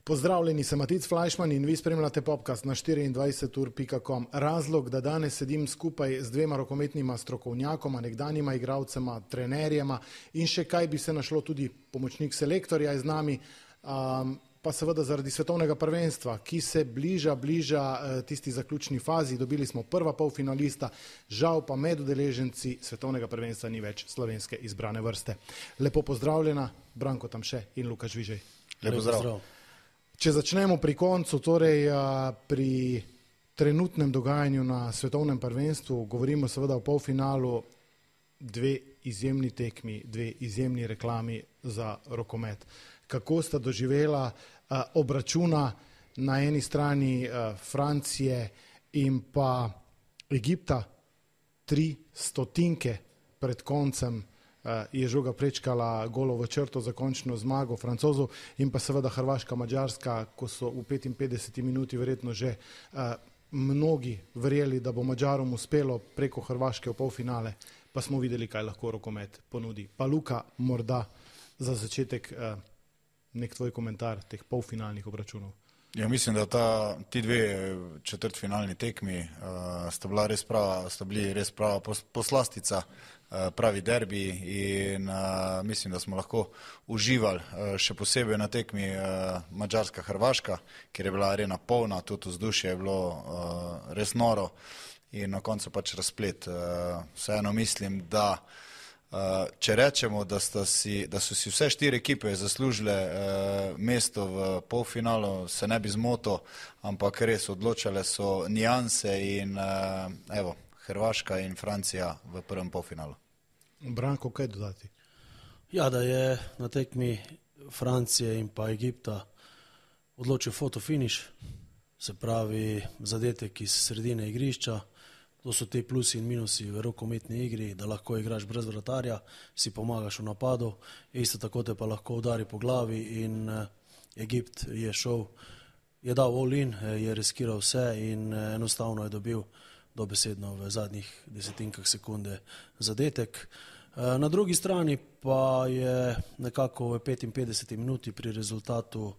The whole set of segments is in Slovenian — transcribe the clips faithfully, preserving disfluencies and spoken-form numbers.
Pozdravljeni, sem Matic Flajšman in vi spremljate podcast na štiriindvajset ur pika com. Razlog, da danes sedim skupaj z dvema rokometnima strokovnjakoma, nekdanjima igralcema, trenerjema in še kaj bi se našlo tudi pomočnik selektorja je z nami, um, pa seveda zaradi svetovnega prvenstva, ki se bliža, bliža tisti zaključni fazi. Dobili smo prva polfinalista, žal pa med udeleženci svetovnega prvenstva ni več slovenske izbrane vrste. Lepo pozdravljena, Branko Tamše in Luka Žvižej. Lepo zdrav. Če začnemo pri koncu, torej pri trenutnem dogajanju na svetovnem prvenstvu, govorimo seveda o polfinalu, dve izjemni tekmi, dve izjemni reklami za rokomet. Kako sta doživela obračuna na eni strani Francije in pa Egipta, tri stotinke pred koncem je žoga prečkala golovo črto za končno zmago Francozov in pa seveda Hrvaška, Mađarska, ko so v petinpetdeseti minuti verjetno že uh, mnogi verjeli, da bo Mađarom uspelo preko Hrvaške v polfinale, pa smo videli, kaj lahko rokomet ponudi. Pa Luka, morda za začetek uh, nek tvoj komentar teh polfinalnih obračunov. Ja, mislim, da ta, ti dve četrtfinalni tekmi uh, sta, bila res prava, sta bili res prava pos, poslastica, uh, pravi derbi in uh, mislim, da smo lahko uživali uh, še posebej na tekmi uh, Mađarska-Hrvaška, kjer je bila arena polna, tudi vzdušje je bilo uh, res noro in na koncu pač razplet. Uh, vseeno mislim, da Uh, če rečemo, da, si, da so si vse štiri ekipe zaslužile uh, mesto v polfinalu, se ne bi zmotil, ampak res odločale so nijanse in uh, evo, Hrvaška in Francija v prvem polfinalu. Branko, kaj dodati? Ja, da je na tekmi Francije in pa Egipta odločil fotofiniš, se pravi zadetek iz sredine igrišča. To so te plusi in minusi v rokometni igri, da lahko igraš brez vratarja, si pomagaš v napadu, isto tako te pa lahko udari po glavi in Egipt je šel, je dal all in, je riskiral vse in enostavno je dobil dobesedno v zadnjih desetinkah sekunde zadetek. Na drugi strani pa je nekako v petinpetdeseti minuti pri rezultatu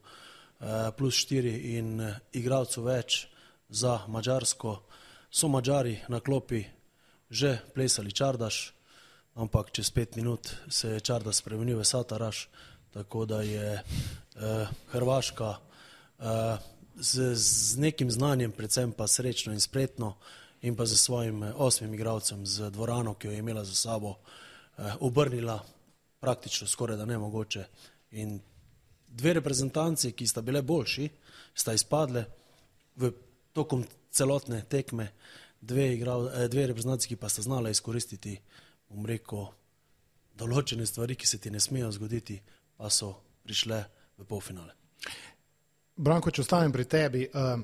plus štiri in igralcev več za Mađarsko. So Mađari na klopi že plesali čardaš, ampak čez pet minut se je čardaš spremenil v sataraš, tako da je eh, Hrvaška eh, z, z nekim znanjem, predvsem pa srečno in spretno in pa z svojim osmim igralcem z dvorano, ki jo je imela za sabo, eh, obrnila praktično skoraj da nemogoče. In dve reprezentanci, ki sta bile boljši, sta izpadle v tokom celotne tekme, dve, igral, dve reprezentanci, ki pa sta znala izkoristiti, bom rekel, določene stvari, ki se ti ne smejo zgoditi, pa so prišle v polfinale. Branko, če ostavim pri tebi, uh,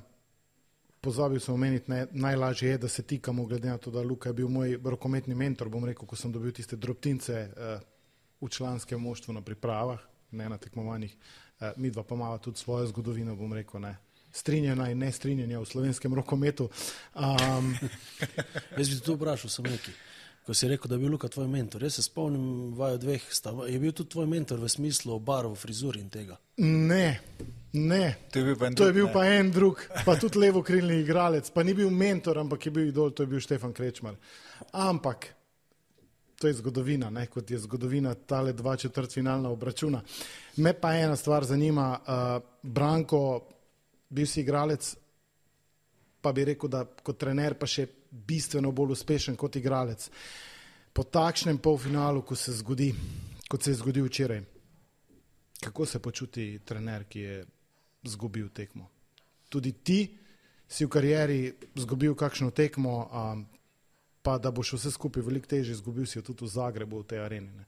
pozabil sem omeniti, ne, najlažje je, da se tikamo, glede na to, da Luka je bil moj rokometni mentor, bom rekel, ko sem dobil tiste drobtince uh, v članskem moštvu na pripravah, ne na tekmovanjih, uh, midva pa imava tudi svojo zgodovino, bom rekel, ne. Strinjena in nestrinjena v slovenskem rokometu. Um, Jaz bi tu vprašal sem nekaj, ko si rekel, da je bil Luka tvoj mentor. Jaz se spomnim vaju dveh, sta, je bil tudi tvoj mentor v smislu barvo, frizuri in tega? Ne, ne. To je bil pa en to drug, je bil ne. pa en drug, pa tudi levokrilni igralec, pa ni bil mentor, ampak je bil idol, to je bil Štefan Krečmar. Ampak to je zgodovina, ne, kot je zgodovina tale dva četrtfinalna obračuna. Me pa ena stvar zanima, uh, Branko, bil si igralec, pa bi rekel, da kot trener pa še bistveno bolj uspešen kot igralec. Po takšnem polfinalu, ko se zgodi, kot se je zgodil včeraj, kako se počuti trener, ki je zgubil tekmo? Tudi ti si v karieri zgubil kakšno tekmo, um, pa da boš vse skupaj veliko težje zgubil si jo tudi v Zagrebu, v tej areni, ne?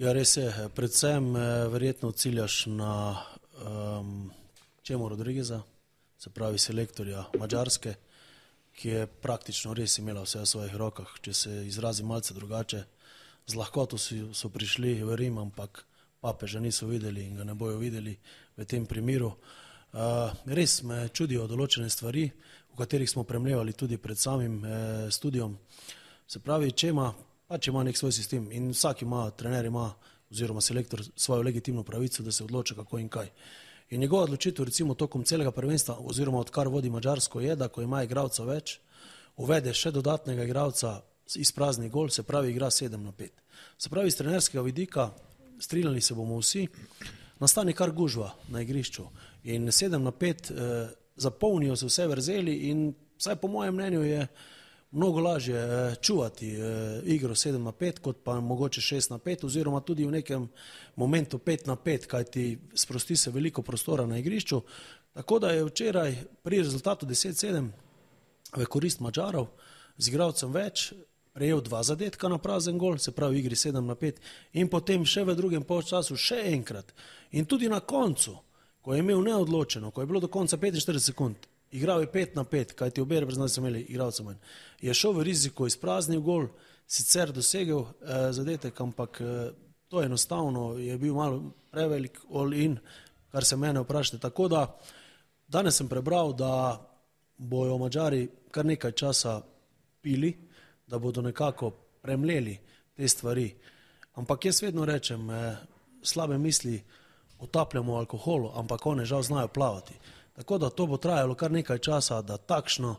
Ja, res je. Predvsem verjetno ciljaš na um, Čemo Rodrigueza, se pravi selektorja Mađarske, ki je praktično res imela vse v svojih rokah. Če se izrazi malce drugače, z lahkoto so, so prišli v Rim, ampak papeža niso videli in ga ne bojo videli v tem primeru. Uh, res me čudijo določene stvari, o katerih smo premljevali tudi pred samim eh, studijom. Se pravi, če ima, pač ima nek svoj sistem in vsak ima, trener ima oziroma selektor svojo legitimno pravico, da se odloča kako in kaj. In njegova odločitev recimo tokom celega prvenstva oziroma odkar vodi Madžarsko je, da ko ima igralca več, uvede še dodatnega igralca iz prazni gol, se pravi igra sedem na pet. Se pravi iz trenerskega vidika, strinjali se bomo vsi, nastane kar gužva na igrišču in sedem na pet eh, zapolnijo se vse vrzeli in vsaj po mojem mnenju je mnogo lažje eh, čuvati eh, igro sedem na pet, kot pa mogoče šest na pet oziroma tudi v nekem momentu pet na pet, kajti sprosti se veliko prostora na igrišču. Tako da je včeraj pri rezultatu deset sedem v korist Madžarov z igralcem več prejel dva zadetka na prazen gol, se pravi v igri sedem na pet in potem še v drugem polčasu še enkrat. In tudi na koncu, ko je imel neodločeno, ko je bilo do konca petinštirideset sekund, igral je pet na pet, kajti obe reprezentanci so imeli igralca manj. Je šel v riziko, izpraznil gol, sicer dosegel eh, zadetek, ampak eh, to enostavno je bil malo prevelik all-in, kar se mene vprašate. Tako da danes sem prebral, da bojo Madžari kar nekaj časa pili, da bodo nekako premleli te stvari. Ampak jaz vedno rečem, eh, slabe misli utapljamo v alkoholu, ampak one žal znajo plavati. Tako da to bo trajalo kar nekaj časa, da takšno,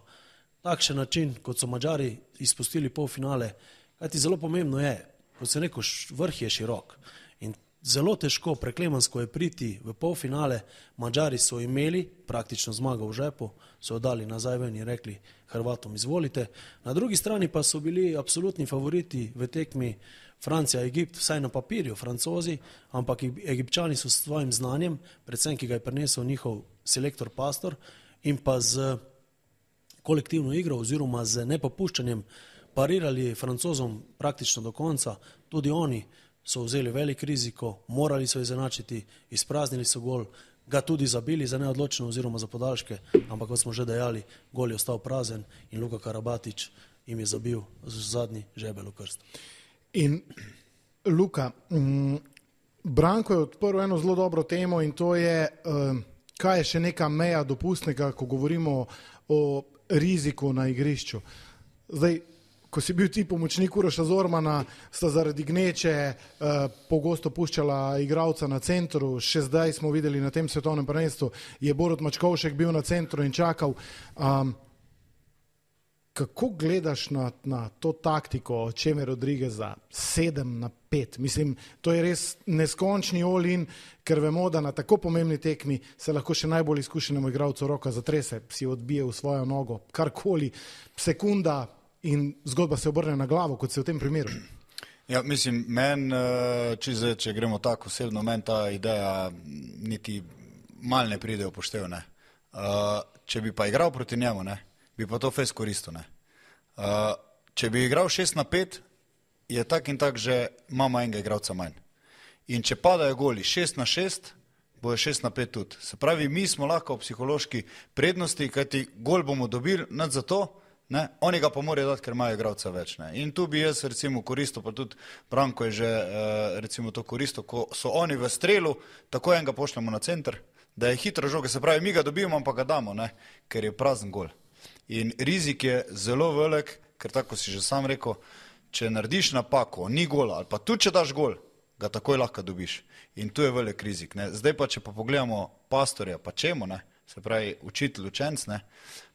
takšen način, kot so Madžari izpustili polfinale, kajti zelo pomembno je, kot se neko vrh je širok in zelo težko, preklemansko je priti v polfinale. Madžari so imeli praktično zmago v žepu, so dali nazaj ven in rekli Hrvatom izvolite. Na drugi strani pa so bili absolutni favoriti v tekmi Francija, Egipt, vsaj na papirju Francozi, ampak Egipčani so s svojim znanjem, predvsem ki ga je prinesel njihov selektor Pastor in pa z kolektivno igro oziroma z nepopuščanjem parirali Francozom praktično do konca. Tudi oni so vzeli velik riziko, morali so izenačiti, izpraznili so gol, ga tudi zabili za neodločeno oziroma za podaljške, ampak kot smo že dejali, gol je ostal prazen in Luka Karabatić jim je zabil zadnji žebelj v krst. In Luka, m, Branko je odprl eno zelo dobro temo in to je, um, kaj je še neka meja dopustnega, ko govorimo o riziku na igrišču. Zdaj, ko si bil ti pomočnik Uroša Zormana, sta zaradi gneče uh, pogosto puščala igralca na centru, še zdaj smo videli na tem svetovnem prvenstvu, je Borut Mačkovšek bil na centru in čakal. Um, kako gledaš na, na to taktiko Čeme Rodrigueza sedem na pet? Mislim, to je res neskončni all-in, ker vemo, da na tako pomembni tekmi se lahko še najbolj izkušenemu igralcu roka zatrese, si odbije v svojo nogo, karkoli, sekunda in zgodba se obrne na glavo, kot se v tem primeru. Ja, mislim, men, če, zdaj, če gremo tako osebno, men ta ideja niti mal ne pride upoštevne. Uh, če bi pa igral proti njemu, ne, bi pa to fez koristil, ne. Uh, če bi igral šest na pet, je tak in tak že imamo enega igralca manj. In če padajo goli šest na šest, bo je šest na pet tudi. Se pravi, mi smo lahko v psihološki prednosti, kajti gol bomo dobili nad za to, ne, oni ga pa morajo dati, ker imajo igralca več. Ne. In tu bi jaz recimo koristil, pa tudi Branko je že uh, recimo to koristil, ko so oni v strelu, tako enega pošljemo na center, da je hitra žoga, se pravi, mi ga dobimo, pa ga damo, ne, ker je prazen gol. In rizik je zelo velik, ker tako si že sam rekel, če narediš napako, ni gola, ali pa tudi če daš gol, ga takoj lahko dobiš. In tu je velik rizik. Ne. Zdaj pa, če pa pogledamo Pastorja, pa čemu, ne, se pravi, učitelj, učenc, ne,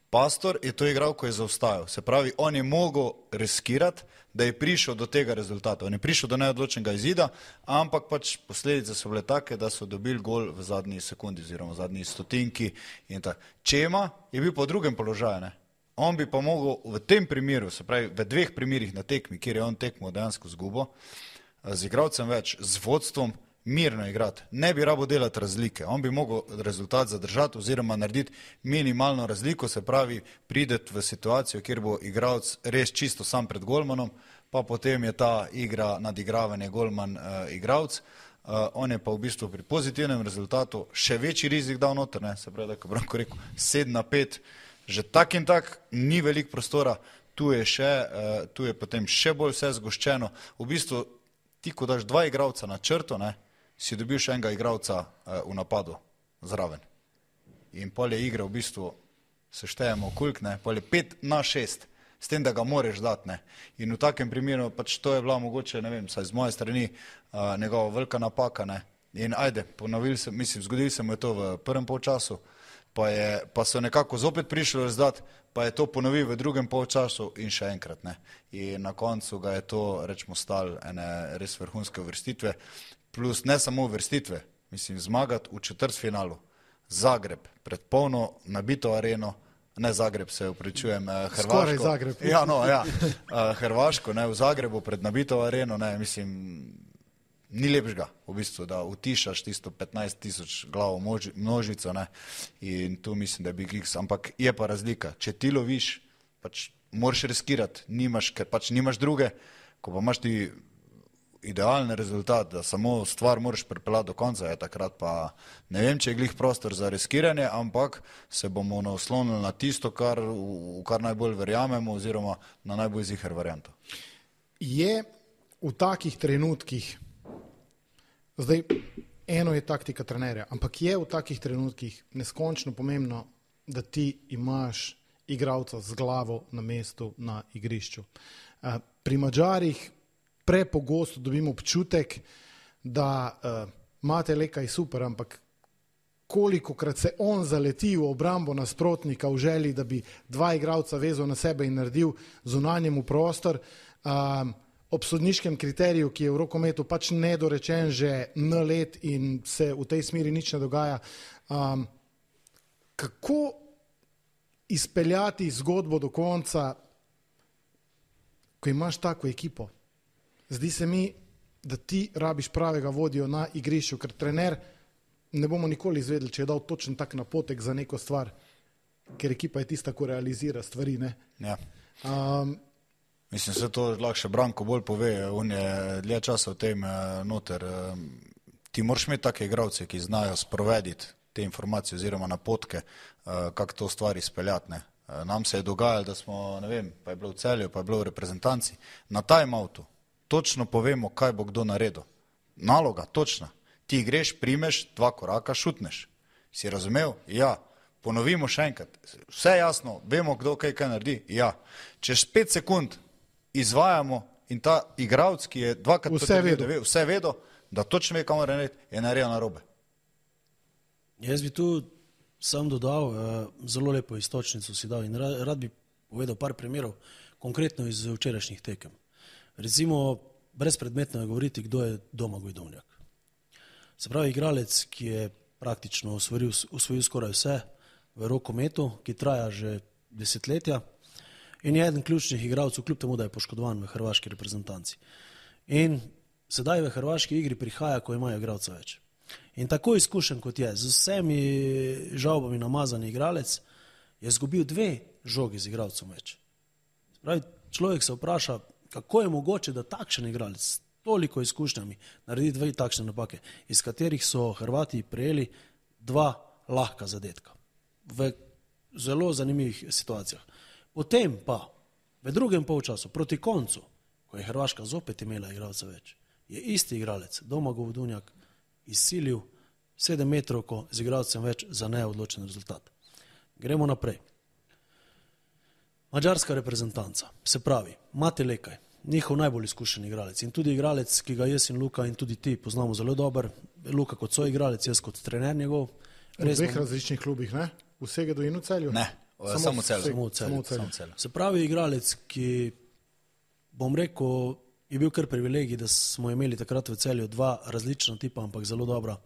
Pastor je to igral, ko je zaostajal. Se pravi, on je mogel riskirati, da je prišel do tega rezultata. On je prišel do neodločenega izida, ampak pač posledice so bile take, da so dobili gol v zadnji sekundi oziroma v zadnji stotinki in tako. Čema je bil pa v drugem položaju, ne. On bi pa mogel v tem primeru, se pravi, v dveh primerih na tekmi, kjer je on tekmo dejansko zgubo, z igralcem več, z vodstvom, mirno igrati. Ne bi rabo delati razlike. On bi mogel rezultat zadržati oziroma narediti minimalno razliko, se pravi, prideti v situacijo, kjer bo igralec res čisto sam pred golmanom, pa potem je ta igra nadigravanje golman uh, igralec. Uh, on je pa v bistvu pri pozitivnem rezultatu še večji rizik dal noter, ne? Se pravi, da ko Branko rekel, sedem na pet, že tak in tak ni veliko prostora, tu je, še, uh, tu je potem še bolj vse zgoščeno. V bistvu ti, ko daš dva igralca na črto, ne, si dobil še enega igralca uh, v napadu zraven. In pol je igra v bistvu, seštejemo koliko, ne, pol je pet na šest, s tem, da ga moreš dati, ne. In v takem primeru, pač to je bila mogoče, ne vem, saj z moje strani uh, njegova velika napaka, ne. In ajde, ponovili se, mislim, zgodili se mu je to v prvem polčasu, pa, je, pa so nekako zopet prišli rezultat, pa je to ponovil v drugem polčasu in še enkrat, ne. In na koncu ga je to, rečemo, stal ene res vrhunske uvrstitve, plus ne samo uvrstitve, mislim, zmagati v četrtfinalu, Zagreb, pred polno nabito areno, ne Zagreb, se upravičujem, Hrvaško. Skoraj Zagreb. Ja, no, ja, Hrvaško, ne, v Zagrebu pred nabito areno, ne, mislim, ni lepšega, v bistvu, da utišaš tisto petnajst tisoč glavo množico, ne, in tu mislim, da je Big X, ampak je pa razlika, če ti loviš, pač moraš riskirati, nimaš, ker pač nimaš druge, ko pa imaš ti idealni rezultat, da samo stvar moraš pripeljati do konca, je takrat pa ne vem, če je glih prostor za riskiranje, ampak se bomo naslonili na tisto, kar, v kar najbolj verjamemo, oziroma na najbolj ziher varianto. Je v takih trenutkih, zdaj eno je taktika trenerja, ampak je v takih trenutkih neskončno pomembno, da ti imaš igralca z glavo na mestu na igrišču. Pri Madžarih prepogosto dobimo občutek, da uh, Mate Leka je super, ampak kolikokrat se on zaleti v obrambo nasprotnika v želji, da bi dva igralca vezal na sebe in naredil zunanjemu prostor, um, ob sodniškem kriteriju, ki je v rokometu pač nedorečen že n let in se v tej smeri nič ne dogaja. Um, kako izpeljati zgodbo do konca, ko imaš tako ekipo? Zdi se mi, da ti rabiš pravega vodjo na igrišču, ker trener ne bomo nikoli izvedeli, če je dal točen tak napotek za neko stvar, ker ekipa je tista, ko realizira stvari, ne? Ja. Um, Mislim, se to lahko še Branko bolj pove, on je dlje časa v tem noter. Ti moraš imeti take igralce, ki znajo sprovediti te informacije oziroma napotke, kako to stvar izpeljati, ne? Nam se je dogajalo, da smo, ne vem, pa je bilo v Celju, pa je bilo v reprezentanci, na time-outu točno povemo, kaj bo kdo naredil. Naloga, točna. Ti greš, primeš, dva koraka, šutneš. Si razumel? Ja. Ponovimo še enkrat. Vse jasno, vemo, kdo kaj kaj naredi? Ja. Čez pet sekund izvajamo in ta igralec, ki je dvakrat vse vedo, vse vedo, da točno ve, kaj mora narediti, je naredil narobe. Jaz bi tu sam dodal, zelo lepo istočnico si dal in rad bi povedal par primerov, konkretno iz včerajšnjih tekem. Recimo, brezpredmetno je govoriti, kdo je Domagoj Dovnjak. Se pravi, igralec, ki je praktično osvojil, osvojil skoraj vse v rokometu, ki traja že desetletja in je eden ključnih igralcev, kljub temu, da je poškodovan v hrvaški reprezentanci. In sedaj v hrvaški igri prihaja, ko imajo igralca več. In tako izkušen kot je, z vsemi žalbami namazani igralec, je izgubil dve žogi z igralcem več. Se pravi, človek se vpraša, kako je mogoče, da takšen igralec s toliko izkušnjami naredi dve takšne napake, iz katerih so Hrvati prejeli dva lahka zadetka v zelo zanimivih situacijah. Potem pa v drugem polčasu, proti koncu, ko je Hrvaška zopet imela igralca več, je isti igralec Domagoj Dovnjak izsilil sedem metrovko z igralcem več za neodločen rezultat. Gremo naprej. Madžarska reprezentanca, se pravi, Mate Lekaj, njihov najbolj izkušen igralec in tudi igralec, ki ga jaz in Luka in tudi ti poznamo zelo dober, Luka kot so igralec, jaz kot trener njegov. V dveh bom... različnih klubih, ne? V Segedu in v Celju? Ne, samo v Celju. Samo v Celju. Samo v Celju. Se pravi, igralec, ki, bom rekel, je bil kar privilegij, da smo imeli takrat v Celju dva različna tipa, ampak zelo dobra.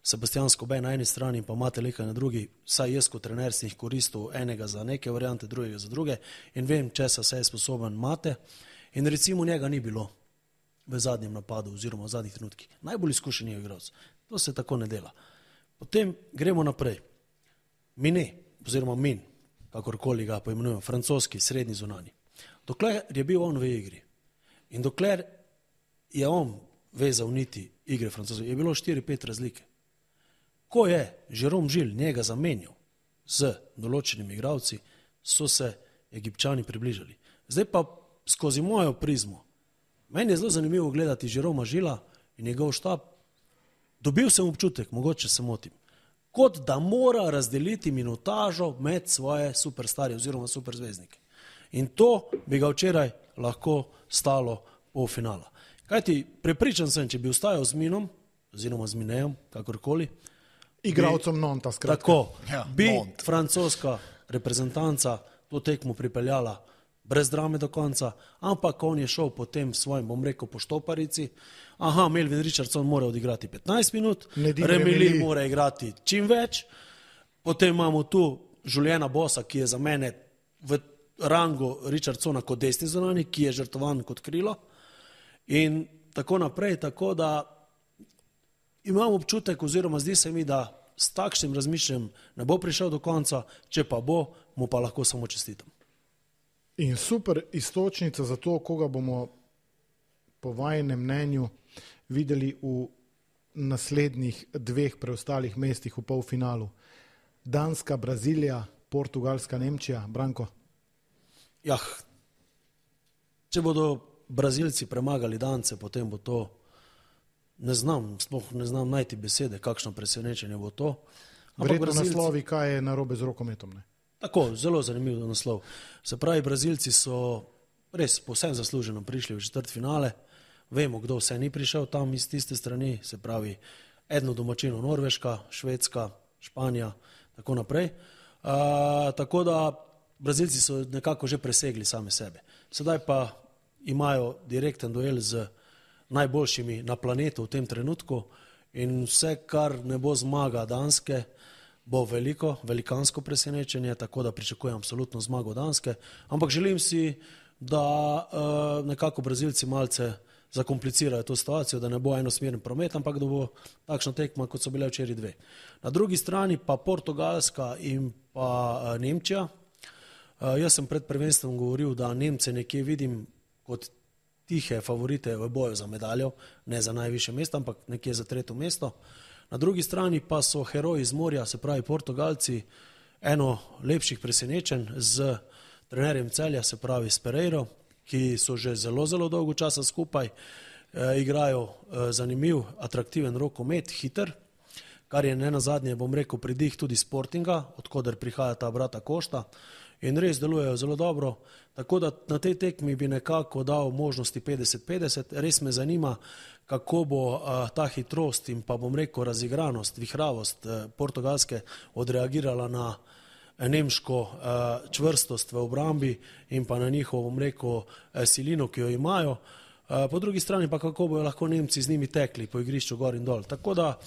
Sebastian Skobej na eni strani in pa Mate Lekaj na drugi, saj jaz kot trener sem jih koristil enega za neke variante, drugega za druge in vem, česa se je sposoben Mate in recimo njega ni bilo v zadnjem napadu oziroma v zadnjih trenutkih. Najbolj izkušen je igralec. To se tako ne dela. Potem gremo naprej. Mine, oziroma Min, kakorkoli ga poimenujemo, francoski, srednji zunanji. Dokler je bil on v igri in dokler je on vezal niti igre francozov, je bilo štiri pet razlike. Ko je Jérôme Gilles njega zamenjal z določenimi igralci, so se Egipčani približali. Zdaj pa skozi mojo prizmo. Meni je zelo zanimivo gledati Jérôma Gillesa in njegov štab. Dobil sem občutek, mogoče se motim, kot da mora razdeliti minutažo med svoje superstarje oziroma superzvezdnike. In to bi ga včeraj lahko stalo polfinala. Kajti prepričan sem, če bi ostajal z Minom, oziroma z Minejem, kakorkoli. Igralcem Nonta, skratka. Tako, Ja, bi Nont. francoska reprezentanca to tekmo pripeljala brez drame do konca, ampak on je šel potem svojim, bom rekel, po štoparici. Aha, Melvin Richardson mora odigrati petnajst minut, Nedim Remili Remili. mora igrati čim več, potem imamo tu Juliana Bossa, ki je za mene v rangu Richardsona kot desni zunanji, ki je žrtvovan kot krilo in tako naprej, tako da imam občutek oziroma zdi se mi, da s takšnim razmišljanjem ne bo prišel do konca, če pa bo, mu pa lahko samo čestitam. In super istočnica za to, koga bomo po vajenem mnenju videli v naslednjih dveh preostalih mestih v polfinalu. Danska, Brazilija, Portugalska, Nemčija. Branko? Jah, če bodo Brazilci premagali Dance, potem bo to, ne znam, sploh ne znam najti besede, kakšno presenečenje bo to. Verjetno Brazilci- naslovi, kaj je narobe z rokometom. Ne? Tako, zelo zanimiv naslov. Se pravi, Brazilci so res povsem zasluženo prišli v četrtfinale. Vemo, kdo vse ni prišel tam iz tiste strani, se pravi, eno domačino Norveška, Švedska, Španija, tako naprej. Uh, tako da Brazilci so nekako že presegli same sebe. Sedaj pa imajo direkten duel z najboljšimi na planetu v tem trenutku in vse, kar ne bo zmaga Danske, bo veliko, velikansko presenečenje, tako da pričakujem absolutno zmago Danske, ampak želim si, da uh, nekako Brazilci malce zakomplicirajo to situacijo, da ne bo enosmeren promet, ampak da bo takšna tekma, kot so bile včeraj dve. Na drugi strani pa Portugalska in pa uh, Nemčija. Uh, jaz sem pred prvenstvom govoril, da Nemce nekje vidim kot tihe favorite v boju za medaljo, ne za najvišje mesto, ampak nekje za tretje mesto. Na drugi strani pa so heroji iz morja, se pravi Portugalci, eno lepših presenečenj z trenerjem Celja, se pravi s Pereiro, ki so že zelo, zelo dolgo časa skupaj, e, igrajo e, zanimiv, atraktiven rokomet, hiter, kar je ne nazadnje, bom rekel, pridih tudi Sportinga, odkoder prihaja ta brata Košta in res delujejo zelo dobro, tako da na tej tekmi bi nekako dal možnosti petdeset petdeset, res me zanima, kako bo uh, ta hitrost in pa bom rekel razigranost, vihravost uh, Portugalske odreagirala na nemško uh, čvrstost v obrambi in pa na njihovo, bom rekel, uh, silino, ki jo imajo. Uh, po drugi strani pa kako bojo lahko Nemci z njimi tekli po igrišču gor in dol. Tako da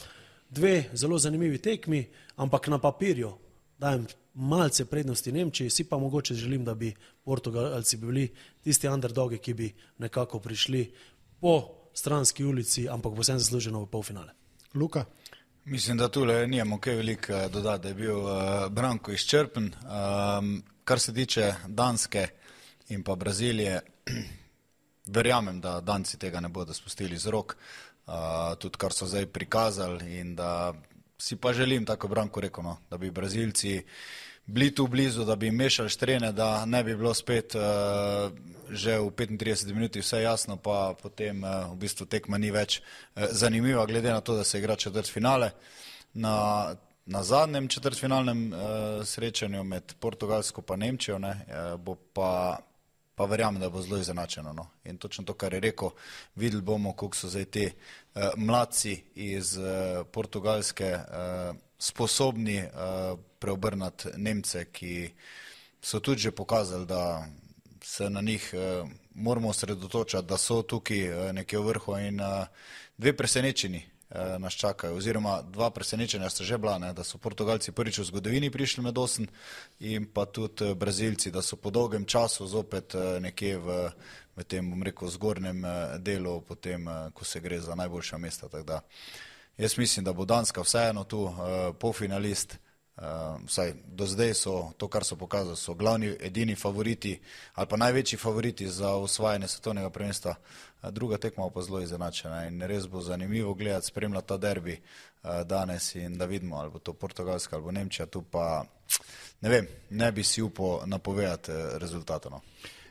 dve zelo zanimivi tekmi, ampak na papirju dajem malce prednosti Nemčiji, si pa mogoče želim, da bi Portugalci bili tisti underdogi, ki bi nekako prišli po stranski ulici, ampak bo vsem zasluženo v polfinale. Luka? Mislim, da tule nijemo kaj veliko dodati, da je bil uh, Branko izčrpen. Um, kar se tiče Danske in pa Brazilije, verjamem, da Danci tega ne bodo spustili z rok, uh, tudi kar so zdaj prikazali in da si pa želim, tako Branko rekel, no, da bi Brazilci bili tu blizu, da bi mešali štrene, da ne bi bilo spet uh, že v petintrideseti minuti vse jasno, pa potem uh, v bistvu tekma ni več uh, zanimiva, glede na to, da se igra četrtfinale. Na, na zadnjem četrtfinalnem uh, srečanju med Portugalsko pa Nemčijo ne, uh, bo pa, pa verjamem, da bo zelo izenačeno. No. In točno to, kar je rekel, videli bomo, koliko so zdaj te uh, mladci iz uh, Portugalske uh, sposobni uh, preobrnati Nemce, ki so tudi že pokazali, da se na njih uh, moramo osredotočati, da so tukaj uh, nekje v vrhu in uh, dve presenečeni uh, nas čakajo, oziroma dva presenečenja sta že bila, ne, da so Portugalci prvič v zgodovini prišli med osem in pa tudi uh, Brazilci, da so po dolgem času zopet uh, nekje v, v tem, bom rekel, zgornjem uh, delu, potem, uh, ko se gre za najboljša mesta, tako da jaz mislim, da bo Danska vseeno tu uh, polfinalist, uh, vsaj do zdaj so to, kar so pokazali, so glavni, edini favoriti ali pa največji favoriti za osvajanje svetovnega prvenstva. Uh, druga tekma pa zelo izenačena in res bo zanimivo gledati, spremljati ta derbi uh, danes in da vidimo, ali bo to Portugalska ali bo Nemčija, tu pa ne vem, ne bi si upal napovedati uh, rezultata. No.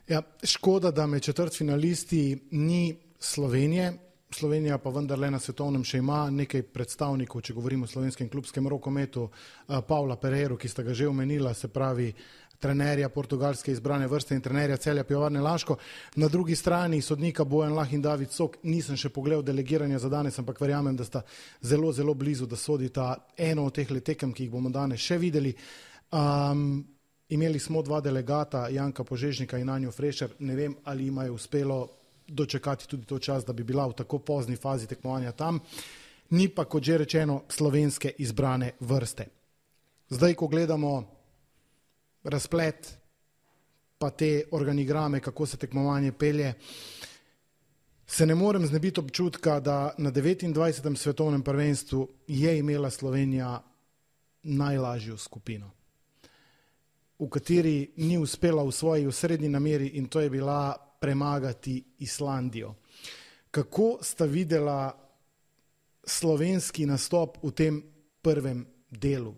Ja, škoda, da med četrtfinalisti ni Slovenije. Slovenija pa vendarle na svetovnem še ima nekaj predstavnikov, če govorimo o slovenskem klubskem rokometu, Pavla Pereiro, ki sta ga že omenila, se pravi trenerja portugalske izbrane vrste in trenerja Celja Pivovarne Laško. Na drugi strani sodnika Bojan Lah in David Sok. Nisem še pogledal delegiranja za danes, ampak verjamem, da sta zelo, zelo blizu, da sodita eno od teh tekem, ki jih bomo danes še videli. Um, imeli smo dva delegata, Janka Požežnika in Anjo Frešer. Ne vem, ali jima je uspelo dočekati tudi to čas, da bi bila v tako pozni fazi tekmovanja tam. Ni pa, kot že rečeno, slovenske izbrane vrste. Zdaj, ko gledamo razplet, pa te organigrame, kako se tekmovanje pelje, se ne morem znebiti občutka, da na devetindvajsetem svetovnem prvenstvu je imela Slovenija najlažjo skupino, v kateri ni uspela v svoji osrednji nameri, in to je bila premagati Islandijo. Kako sta videla slovenski nastop v tem prvem delu?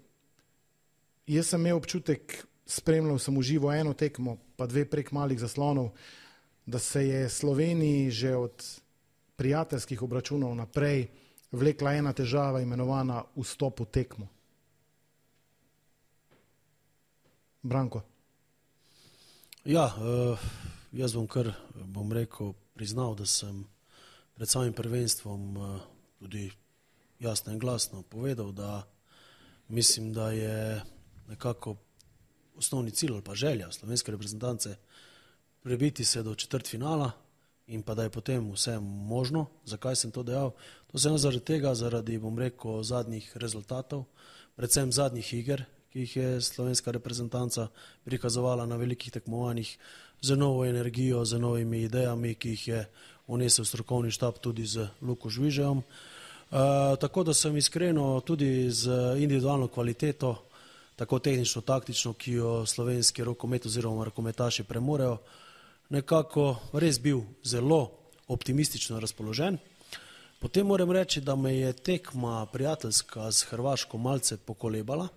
Jaz sem imel občutek, spremljal sem v živo eno tekmo, pa dve prek malih zaslonov, da se je Sloveniji že od prijateljskih obračunov naprej vlekla ena težava, imenovana vstop v tekmo. Branko. Ja, uh, jaz bom kar, bom rekel, priznal, da sem pred samim prvenstvom uh, tudi jasno in glasno povedal, da mislim, da je nekako osnovni cilj ali pa želja slovenske reprezentance prebiti se do četrtfinala in pa da je potem vse možno. Zakaj sem to dejal? To sem zaradi tega, zaradi, bom rekel, zadnjih rezultatov, predvsem zadnjih iger, ki jih je slovenska reprezentanca prikazovala na velikih tekmovanjih z novo energijo, z novimi idejami, ki jih je unesel strokovni štab tudi z Luko Žvižejom. Uh, tako da sem iskreno tudi z individualno kvaliteto, tako tehnično, taktično, ki jo slovenski rokomet oziroma rokometaši premorejo, nekako res bil zelo optimistično razpoložen. Potem moram reči, da me je tekma prijateljska z Hrvaško malce pokolebala.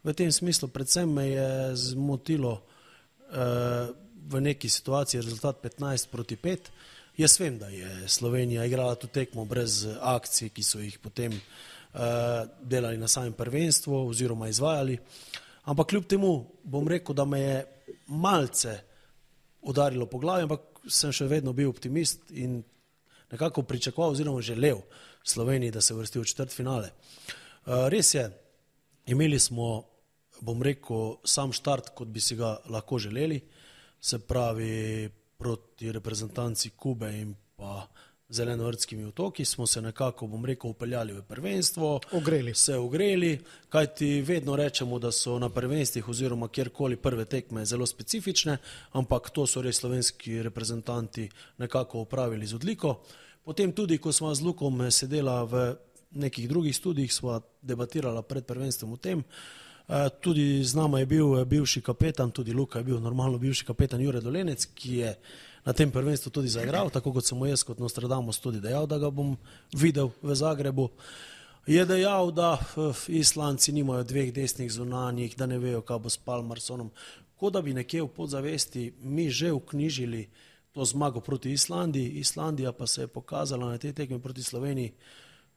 V tem smislu predvsem me je zmotilo eh, v neki situaciji rezultat petnajst proti pet. Jaz vem, da je Slovenija igrala tu tekmo brez akcij, ki so jih potem uh, delali na samem prvenstvu oziroma izvajali. Ampak kljub temu bom rekel, da me je malce udarilo po glavi, ampak sem še vedno bil optimist in nekako pričakoval oziroma želel Sloveniji, da se vrsti v četrtfinale. Uh, res je, imeli smo, bom rekel, sam štart, kot bi si ga lahko želeli, se pravi proti reprezentanci Kube in pa Zelenovrtskimi otoki, smo se nekako, bom rekel, upeljali v prvenstvo, ogreli. se ogreli, kajti vedno rečemo, da so na prvenstvih oziroma kjerkoli prve tekme zelo specifične, ampak to so res slovenski reprezentanti nekako upravili z odliko. Potem tudi, ko smo z Lukom sedela v nekih drugih studijih, sva debatirala pred prvenstvom o tem. Tudi z nama je bil bivši kapetan, tudi Luka je bil normalno bivši kapetan Jure Dolenec, ki je na tem prvenstvu tudi zaigral, tako kot sem mu jaz kot Nostradamus tudi dejal, da ga bom videl v Zagrebu. Je dejal, da Islandci nimajo dveh desnih zunanjih, da ne vejo, kaj bo s Palmarsonom. Kot da bi nekje v podzavesti mi že vknjižili to zmago proti Islandiji. Islandija pa se je pokazala na tej tekmi proti Sloveniji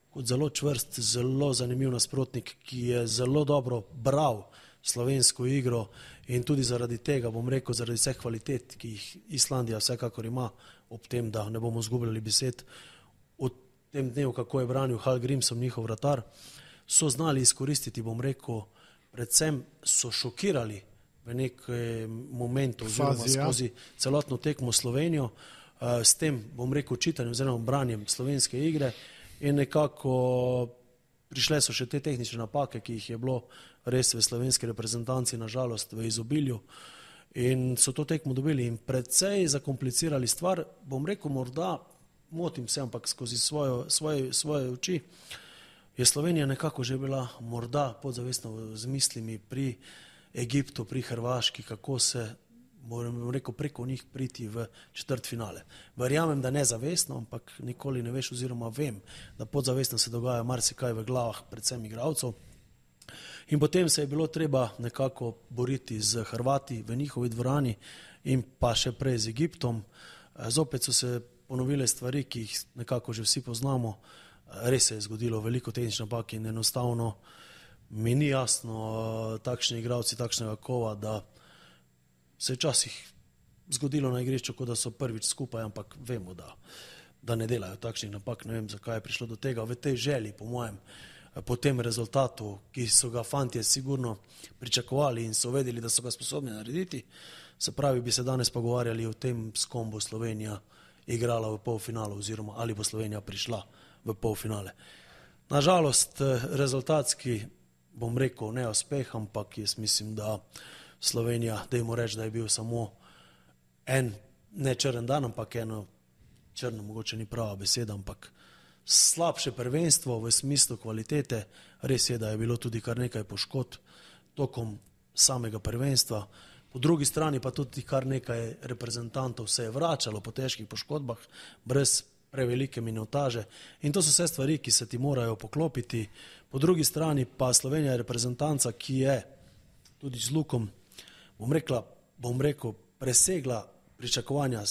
kot zelo čvrst, zelo zanimiv nasprotnik, ki je zelo dobro bral slovensko igro in tudi zaradi tega, bom rekel, zaradi vseh kvalitet, ki jih Islandija vsekakor ima, ob tem, da ne bomo zgubljali besed, v tem dnevu, kako je branil Hal Grimson, njihov vratar, so znali izkoristiti, bom rekel, predvsem so šokirali v nekem momentu oziroma skozi celotno tekmo Slovenijo, s tem, bom rekel, čitanjem oziroma branjem slovenske igre. In nekako prišle so še te tehnične napake, ki jih je bilo res v slovenski reprezentanci nažalost v izobilju in so to tekmo dobili in precej zakomplicirali stvar. Bom rekel, morda, motim se, ampak skozi svojo, svoje, svoje oči je Slovenija nekako že bila morda podzavestno z mislimi pri Egiptu, pri Hrvaški, kako se, moram rekel, preko njih priti v četrtfinale. Verjamem, da ne zavestno, ampak nikoli ne veš oziroma vem, da podzavestno se dogaja marsikaj v glavah predvsem igralcev. In potem se je bilo treba nekako boriti z Hrvati v njihovi dvorani in pa še prej z Egiptom. Zopet so se ponovile stvari, ki jih nekako že vsi poznamo. Res se je zgodilo veliko tehnične napake in enostavno mi ni jasno takšni igralci takšnega kova, da se je časih zgodilo na igrišču, kot da so prvič skupaj, ampak vemo, da, da ne delajo takšnih napak. Ne vem, zakaj je prišlo do tega. V tej želji, po mojem, po tem rezultatu, ki so ga fantje sigurno pričakovali in so vedeli, da so ga sposobni narediti, se pravi, bi se danes pogovarjali o tem, s kom bo Slovenija igrala v polfinalu oziroma ali bo Slovenija prišla v polfinale. Nažalost, rezultatski, bom rekel, ne uspeh, ampak jaz mislim, da Slovenija, dajmo reči, da je bil samo en, ne črn dan, ampak eno črno, mogoče ni prava beseda, ampak slabše prvenstvo v smislu kvalitete. Res je, da je bilo tudi kar nekaj poškodb tokom samega prvenstva. Po drugi strani pa tudi kar nekaj reprezentantov se je vračalo po težkih poškodbah, brez prevelike minutaže. In to so vse stvari, ki se ti morajo poklopiti. Po drugi strani pa Slovenija je reprezentanca, ki je tudi z Lukom, bom rekla, bom rekel, presegla pričakovanja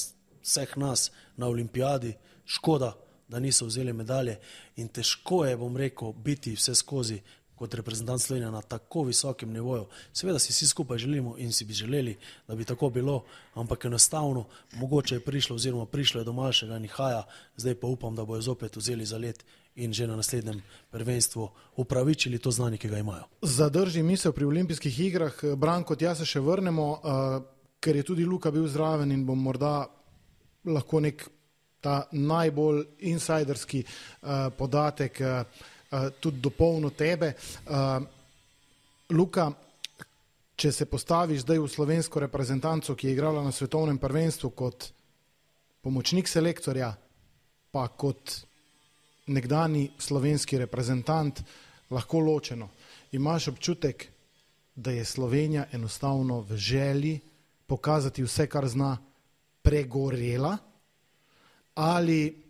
vseh nas na olimpijadi. Škoda, da niso vzeli medalje in težko je, bom rekel, biti vse skozi kot reprezentant Slovenije na tako visokem nivoju. Seveda si vsi skupaj želimo in si bi želeli, da bi tako bilo, ampak enostavno mogoče je prišlo oziroma prišlo je do malšega nihaja, zdaj pa upam, da bojo zopet vzeli za let in že na naslednjem prvenstvu upravičili to znanje, ki ga imajo. Zadrži misel pri olimpijskih igrah. Branko, tja se še vrnemo, uh, ker je tudi Luka bil zraven in bom morda lahko nek ta najbolj insajderski uh, podatek uh, uh, tudi dopolnil tebe. Uh, Luka, če se postaviš zdaj v slovensko reprezentanco, ki je igrala na svetovnem prvenstvu kot pomočnik selektorja, pa kot nekdani slovenski reprezentant, lahko ločeno, imaš občutek, da je Slovenija enostavno v želji pokazati vse, kar zna, pregorela, ali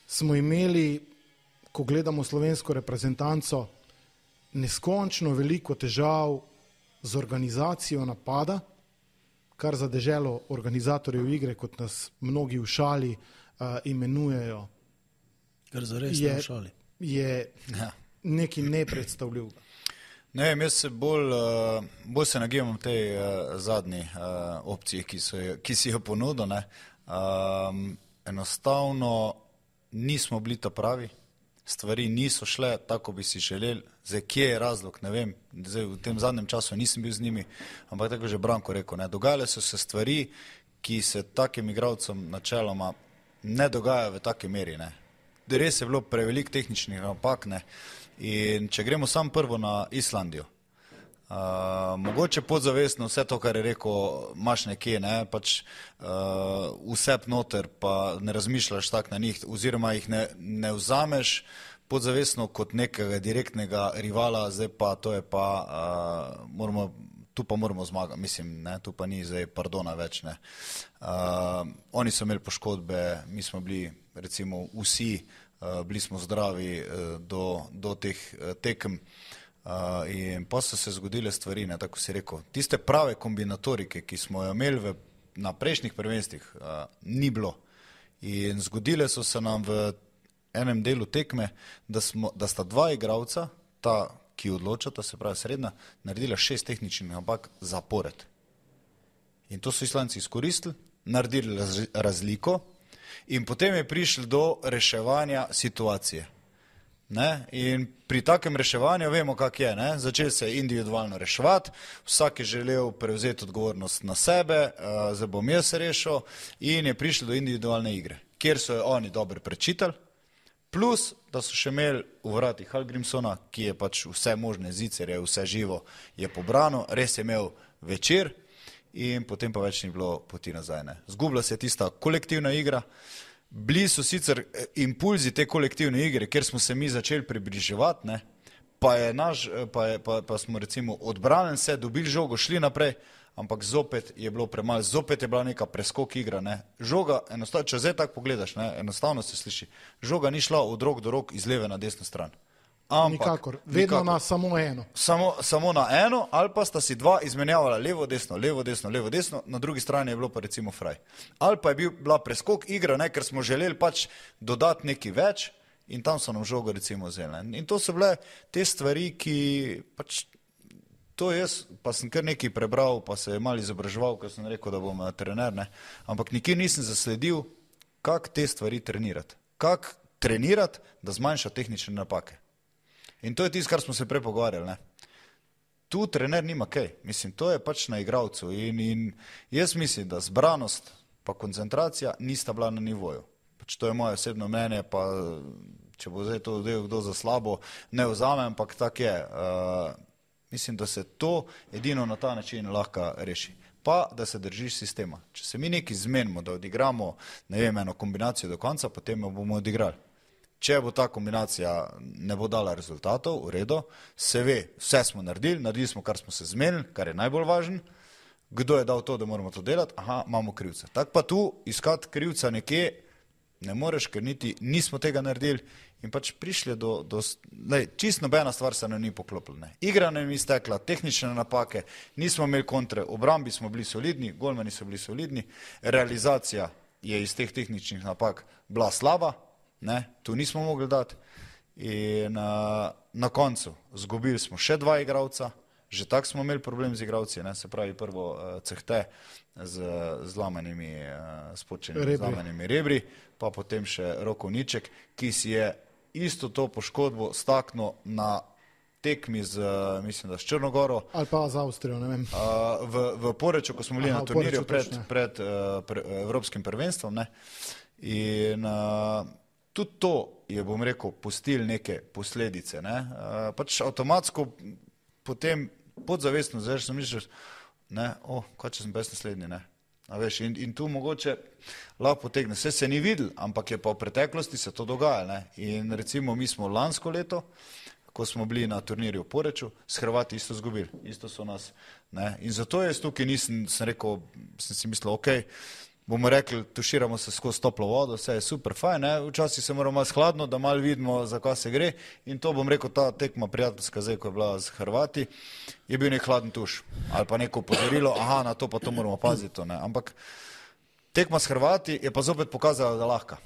smo imeli, ko gledamo slovensko reprezentanco, neskončno veliko težav z organizacijo napada, kar za deželo organizatorjev igre, kot nas mnogi v šali uh, imenujejo, Kar zares je, v šali. je ja. nekaj nepredstavljivega. Ne vem, jaz se bolj, uh, bolj se nagibam v tej uh, zadnji uh, opciji, ki, so, ki si jo ponudil. Ne. Um, enostavno nismo bili ta pravi, stvari niso šle tako, bi si želeli. Zdaj, kje je razlog, ne vem, zdaj, v tem zadnjem času nisem bil z njimi, ampak tako že Branko rekel, ne. Dogajale so se stvari, ki se takim igralcem načeloma ne dogajajo v taki meri. Ne. Res je bilo prevelik tehničnih napak, ne. In če gremo sam prvo na Islandijo, uh, mogoče podzavestno vse to, kar je rekel, imaš nekje, ne, pač uh, vsep noter, pa ne razmišljaš tak na njih, oziroma jih ne, ne vzameš podzavestno kot nekega direktnega rivala, zdaj pa to je pa, uh, moramo, tu pa moramo zmagati, mislim, ne, tu pa ni zdaj pardona več, ne. Uh, oni so imeli poškodbe, mi smo bili recimo vsi, uh, bili smo zdravi uh, do, do teh uh, tekem uh, in pa so se zgodile stvari, ne, tako si rekel. Tiste prave kombinatorike, ki smo jo imeli v, na prejšnjih prvenstvih, uh, ni bilo. In zgodile so se nam v enem delu tekme, da, smo, da sta dva igralca, ta, ki odločata, se pravi srednja, naredila šest tehničnih napak zapored. In to so Islanci izkoristili, naredili raz, razliko, in potem je prišlo do reševanja situacije. Ne? In pri takem reševanju vemo, kak je. Ne? Začeli se individualno reševati, vsak je želel prevzeti odgovornost na sebe, uh, zdaj bom jaz rešil, in je prišlo do individualne igre, kjer so jo oni dobro prečitali, plus, da so še imeli v vratih Hallgrímssona, ki je pač vse možne zicerje, vse živo je pobrano, res je imel večer, in potem pa več ni bilo poti nazaj. Ne. Zgubila se je tista kolektivna igra, bili so sicer impulzi te kolektivne igre, kjer smo se mi začeli približevati, ne, pa, je naš, pa, je, pa, pa smo recimo odbranili se, dobili žogo, šli naprej, ampak zopet je bilo premalo, zopet je bila neka preskok igra. Ne. Žoga, enostavno, če zdaj tako pogledaš, ne, enostavno se sliši, žoga ni šla od rok do rok iz leve na desno stran. Ampak, nikakor, vedno nikakor. Na samo eno. Samo, samo na eno, ali pa sta si dva izmenjavala levo, desno, levo, desno, levo, desno, na drugi strani je bilo pa recimo fraj. Ali pa je bil, bila preskok igra, ne, ker smo želeli pač dodati nekaj več in tam so nam žogo recimo vzeli. In to so bile te stvari, ki pač to jaz, pa sem kar nekaj prebral, pa se je malo izobraževal, ker sem rekel, da bom trener, ne? Ampak nikjer nisem zasledil, kako te stvari trenirati. Kako trenirati, da zmanjša tehnične napake. In to je tisto, kar smo se prej pogovarjali, ne? Tu trener nima kaj. Mislim, to je pač na igralcu. In, in jaz mislim, da zbranost pa koncentracija nista bila na nivoju. Pač to je moje osebno mnenje, pa če bo zdaj to del kdo za slabo, ne vzamem, ampak tak je. Uh, mislim, da se to edino na ta način lahko reši. Pa, da se držiš sistema. Če se mi nekaj zmenimo, da odigramo, ne vem, eno kombinacijo do konca, potem jo bomo odigrali. Če bo ta kombinacija ne bo dala rezultatov, v redu, se ve, vse smo naredili, naredili smo, kar smo se zmenili, kar je najbolj važno. Kdo je dal to, da moramo to delati? Aha, imamo krivca. Tako pa tu iskati krivca nekje ne moreš, ker niti nismo tega naredili in pač prišli do, do lej, čist nobena stvar se nam ni poklopila. Ne. Igra nam ni stekla, tehnične napake, nismo imeli kontre, obrambi smo bili solidni, golmani so bili solidni, realizacija je iz teh tehničnih napak bila slaba, ne, tu nismo mogli dati in na, na koncu zgubili smo še dva igralca, že tako smo imeli problem z igralci, ne, se pravi prvo uh, Cehte z zlamanimi, uh, spočenimi zlamanimi rebri, pa potem še Rokovniček, ki si je isto to poškodbo staknil na tekmi z, uh, mislim, da s Črnogoro. Ali pa z Avstrijo, ne vem. Uh, v, v Poreču, ko smo bili Aha, na turnirju pred, pred uh, pre, Evropskim prvenstvom, ne, in uh, tudi to je, bom rekel, pustil neke posledice, ne, uh, pač avtomatsko potem podzavestno, zdaj sem mišljal, ne, o, kaj če sem bez naslednji, ne, a veš, in, in tu mogoče lahko potegne, vse se ni videl, ampak je pa v preteklosti se to dogaja, ne, in recimo mi smo lansko leto, ko smo bili na turnirju v Poreču, s Hrvati isto zgubili, isto so nas, ne, in zato jaz tukaj nisem, sem rekel, sem si mislil, okej, okay, bomo rekli, tuširamo se skozi toplo vodo, vse je super, fajn, ne, včasih se moramo malo skladno, da malo vidimo, za kaj se gre in to bom rekel, ta tekma prijateljska zdaj, ko je bila z Hrvati, je bil nek hladen tuš ali pa neko upozorilo, aha, na to pa to moramo paziti, ne, ampak tekma s Hrvati je pa zopet pokazala, da lahko,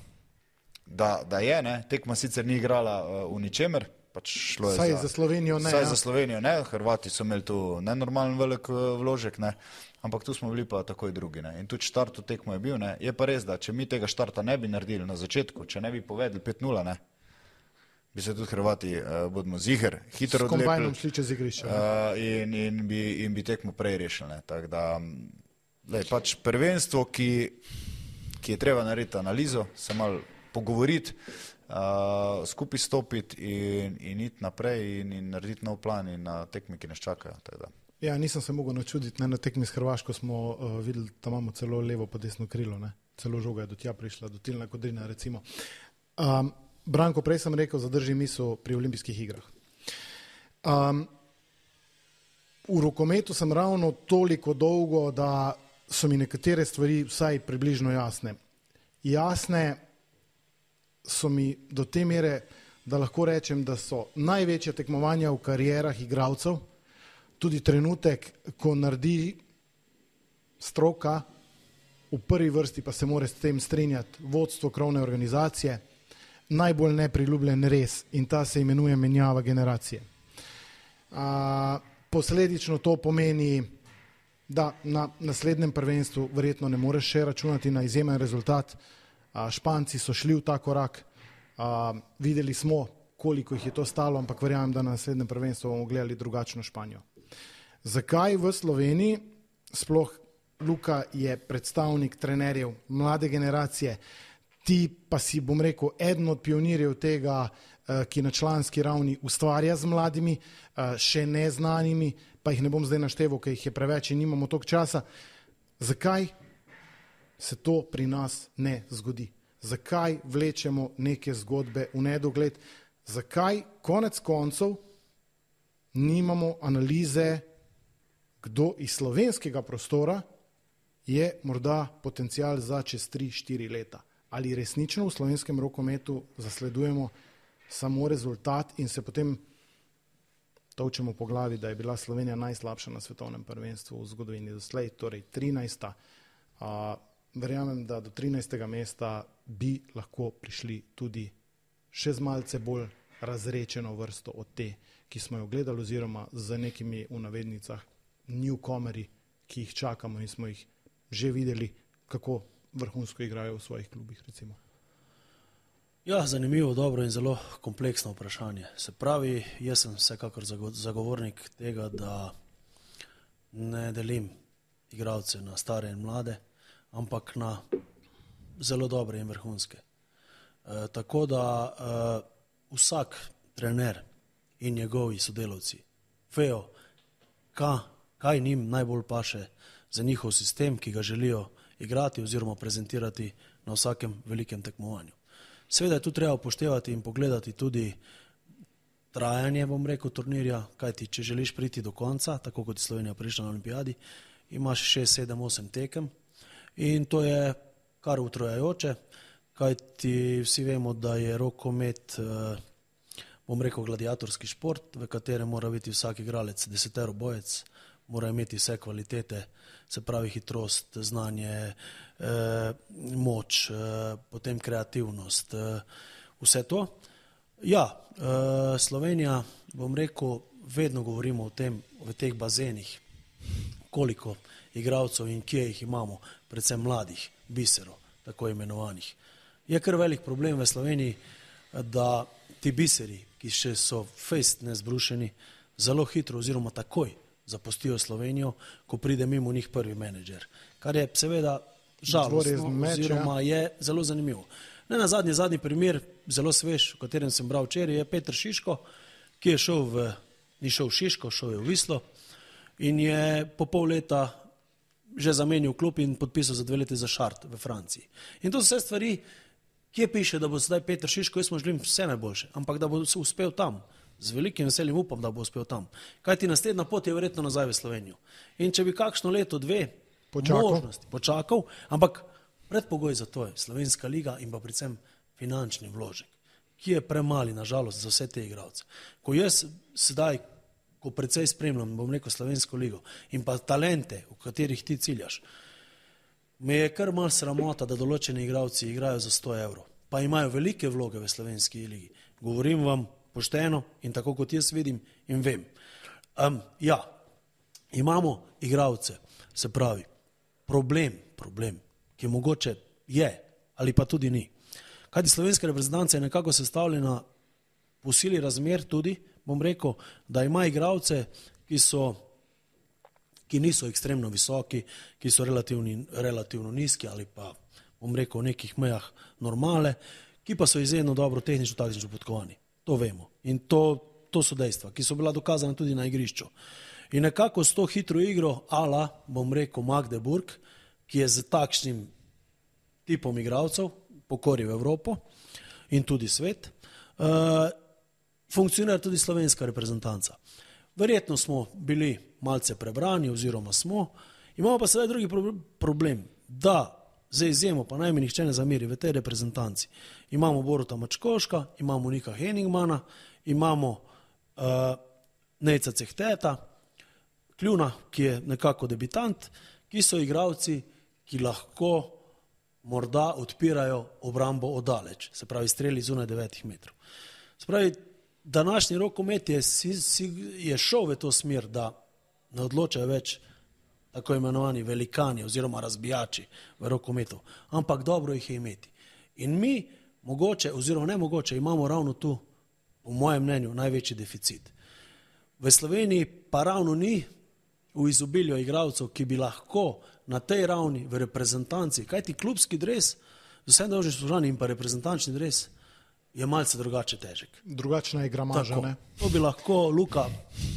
da, da je, ne, tekma sicer ni igrala uh, v ničemer, pač šlo je saj za, za Slovenijo ne, saj ja. za Slovenijo ne, Hrvati so imeli tu nenormalen velik vložek, ne, ampak tu smo bili pa takoj drugi, ne, in tudi štart v tekmo je bil, ne, je pa res, da če mi tega štarta ne bi naredili na začetku, če ne bi povedali pet nula, ne, bi se tudi Hrvati, uh, bodimo ziher, hitro odlepili. S kombajnom šli čez igrišče. Uh, in, in, bi, in bi tekmo prej rešili, ne, tako da, lej, pač prvenstvo, ki, ki je treba narediti analizo, se malo pogovoriti, uh, skupaj stopiti in, in iti naprej in, in narediti nov plan in na tekmi, ki nas čakajo, tako da. Ja, nisem se mogel načuditi, ne, na tekmi s Hrvaško smo uh, videli, da imamo celo levo pa desno krilo, ne, celo žoga je do tja prišla, do Tilna Kodrina, recimo. Um, Branko, prej sem rekel, zadrži misel pri olimpijskih igrah. Um, v rokometu sem ravno toliko dolgo, da so mi nekatere stvari vsaj približno jasne. Jasne so mi do te mere, da lahko rečem, da so največje tekmovanja v karierah igralcev, tudi trenutek, ko naredi stroka, v prvi vrsti pa se mora s tem strinjati vodstvo krovne organizacije, najbolj nepriljubljen res in ta se imenuje menjava generacije. A, posledično to pomeni, da na naslednjem prvenstvu verjetno ne moreš še računati na izjemen rezultat. A, Španci so šli v ta korak, a, videli smo, koliko jih je to stalo, ampak verjamem, da na naslednjem prvenstvu bomo gledali drugačno Španijo. Zakaj v Sloveniji, sploh Luka je predstavnik trenerjev mlade generacije, ti pa si, bom rekel, eden od pionirjev tega, ki na članski ravni ustvarja z mladimi, še neznanimi, pa jih ne bom zdaj našteval, ker jih je preveč in nimamo toliko časa. Zakaj se to pri nas ne zgodi? Zakaj vlečemo neke zgodbe v nedogled? Zakaj konec koncev nimamo analize, kdo iz slovenskega prostora je morda potencial za čez tri štiri leta? Ali resnično v slovenskem rokometu zasledujemo samo rezultat in se potem tolčemo po glavi, da je bila Slovenija najslabša na svetovnem prvenstvu v zgodovini doslej, torej trinajsta. A, verjamem, da do trinajstega mesta bi lahko prišli tudi še z malce bolj razrečeno vrsto od te, ki smo jo gledali, oziroma z nekimi v navednicah newcomeri, ki jih čakamo in smo jih že videli, kako vrhunsko igrajo v svojih klubih, recimo? Ja, zanimivo, dobro in zelo kompleksno vprašanje. Se pravi, jaz sem vsekakor zagovornik tega, da ne delim igralce na stare in mlade, ampak na zelo dobre in vrhunske. E, tako da e, vsak trener in njegovi sodelavci vejo, ka, kaj njim najbolj paše za njihov sistem, ki ga želijo igrati oziroma prezentirati na vsakem velikem tekmovanju. Seveda je tu treba upoštevati in pogledati tudi trajanje, bom rekel, turnirja, kajti če želiš priti do konca, tako kot je Slovenija prišla na olimpijadi, imaš šest, sedem, osem tekem in to je kar utrojajoče, kajti vsi vemo, da je rokomet, bom rekel, gladiatorski šport, v katerem mora biti vsak igralec desetero bojec, mora imeti vse kvalitete, se pravi hitrost, znanje, eh, moč, eh, potem kreativnost, eh, vse to. Ja, eh, Slovenija, bom rekel, vedno govorimo o tem, v teh bazenih, koliko igralcev in kje jih imamo, predvsem mladih, biserov, tako imenovanih. Je kar velik problem v Sloveniji, da ti biseri, ki še so fejst nezbrušeni, zelo hitro oziroma takoj zapustijo Slovenijo, ko pride mimo njih prvi menedžer. Kar je seveda žalostno oziroma je zelo zanimivo. Ne na zadnji, zadnji primer, zelo svež, o katerem sem bral včeraj, je Peter Šiško, ki je šel v, ni šel v Šiško, šel je v Vislo in je po pol leta že zamenil klub in podpisal za dve leti za Šart v Franciji. In to so vse stvari, kje piše, da bo sedaj Peter Šiško, jaz mu želim vse najboljše, ampak da bo uspel tam. Z velikim veseljem upam, da bo uspel tam. Kajti naslednja pot je verjetno nazaj v Slovenijo. In če bi kakšno leto, dve počakal. možnosti počakal, ampak predpogoj za to je Slovenska liga in pa predvsem finančni vložek, ki je premali, nažalost, za vse te igralce. Ko jaz sedaj, ko precej spremljam, bom rekel, Slovensko ligo in pa talente, v katerih ti ciljaš, me je kar malo sramota, da določeni igralci igrajo za sto evrov, pa imajo velike vloge v Slovenski ligi. Govorim vam pošteno in tako kot jaz vidim in vem. Um, ja, imamo igralce, se pravi, problem, problem, ki mogoče je ali pa tudi ni. Kajti slovenska reprezentanca je nekako sestavljena po sili razmer tudi, bom rekel, da ima igralce, ki so, ki niso ekstremno visoki, ki so relativni, relativno nizki ali pa, bom rekel, v nekih mejah normale, ki pa so izjemno dobro tehnično, taktično podkovani. To vemo. In to, to so dejstva, ki so bila dokazana tudi na igrišču. In nekako s to hitro igro, ala, bom rekel, Magdeburg, ki je z takšnim tipom igralcev pokoril Evropo in tudi svet, uh, funkcionira tudi slovenska reprezentanca. Verjetno smo bili malce prebrani oziroma smo, imamo pa sedaj drugi problem, da za izjemo, pa naj mi nihče ne zameri, v tej reprezentanci imamo Boruta Mačkoška, imamo Nika Henigmana, imamo uh, Nejca Cehteta, Kljuna, ki je nekako debitant, ki so igralci, ki lahko morda odpirajo obrambo oddaleč, se pravi streli zunaj devetih metrov. Se pravi, današnji rokomet je, si, si, je šel v to smer, da ne odločajo več tako imenovani velikani oziroma razbijači v rokometu, ampak dobro jih je imeti. In mi mogoče oziroma nemogoče imamo ravno tu, po mojem mnenju, največji deficit. V Sloveniji pa ravno ni v izobilju igralcev, ki bi lahko na tej ravni v reprezentanci, kajti klubski dres, z vsem dolžnim spoštovanjem in pa reprezentančni dres, je malce drugače težek. Drugačna je gramaža, ne? To bi lahko Luka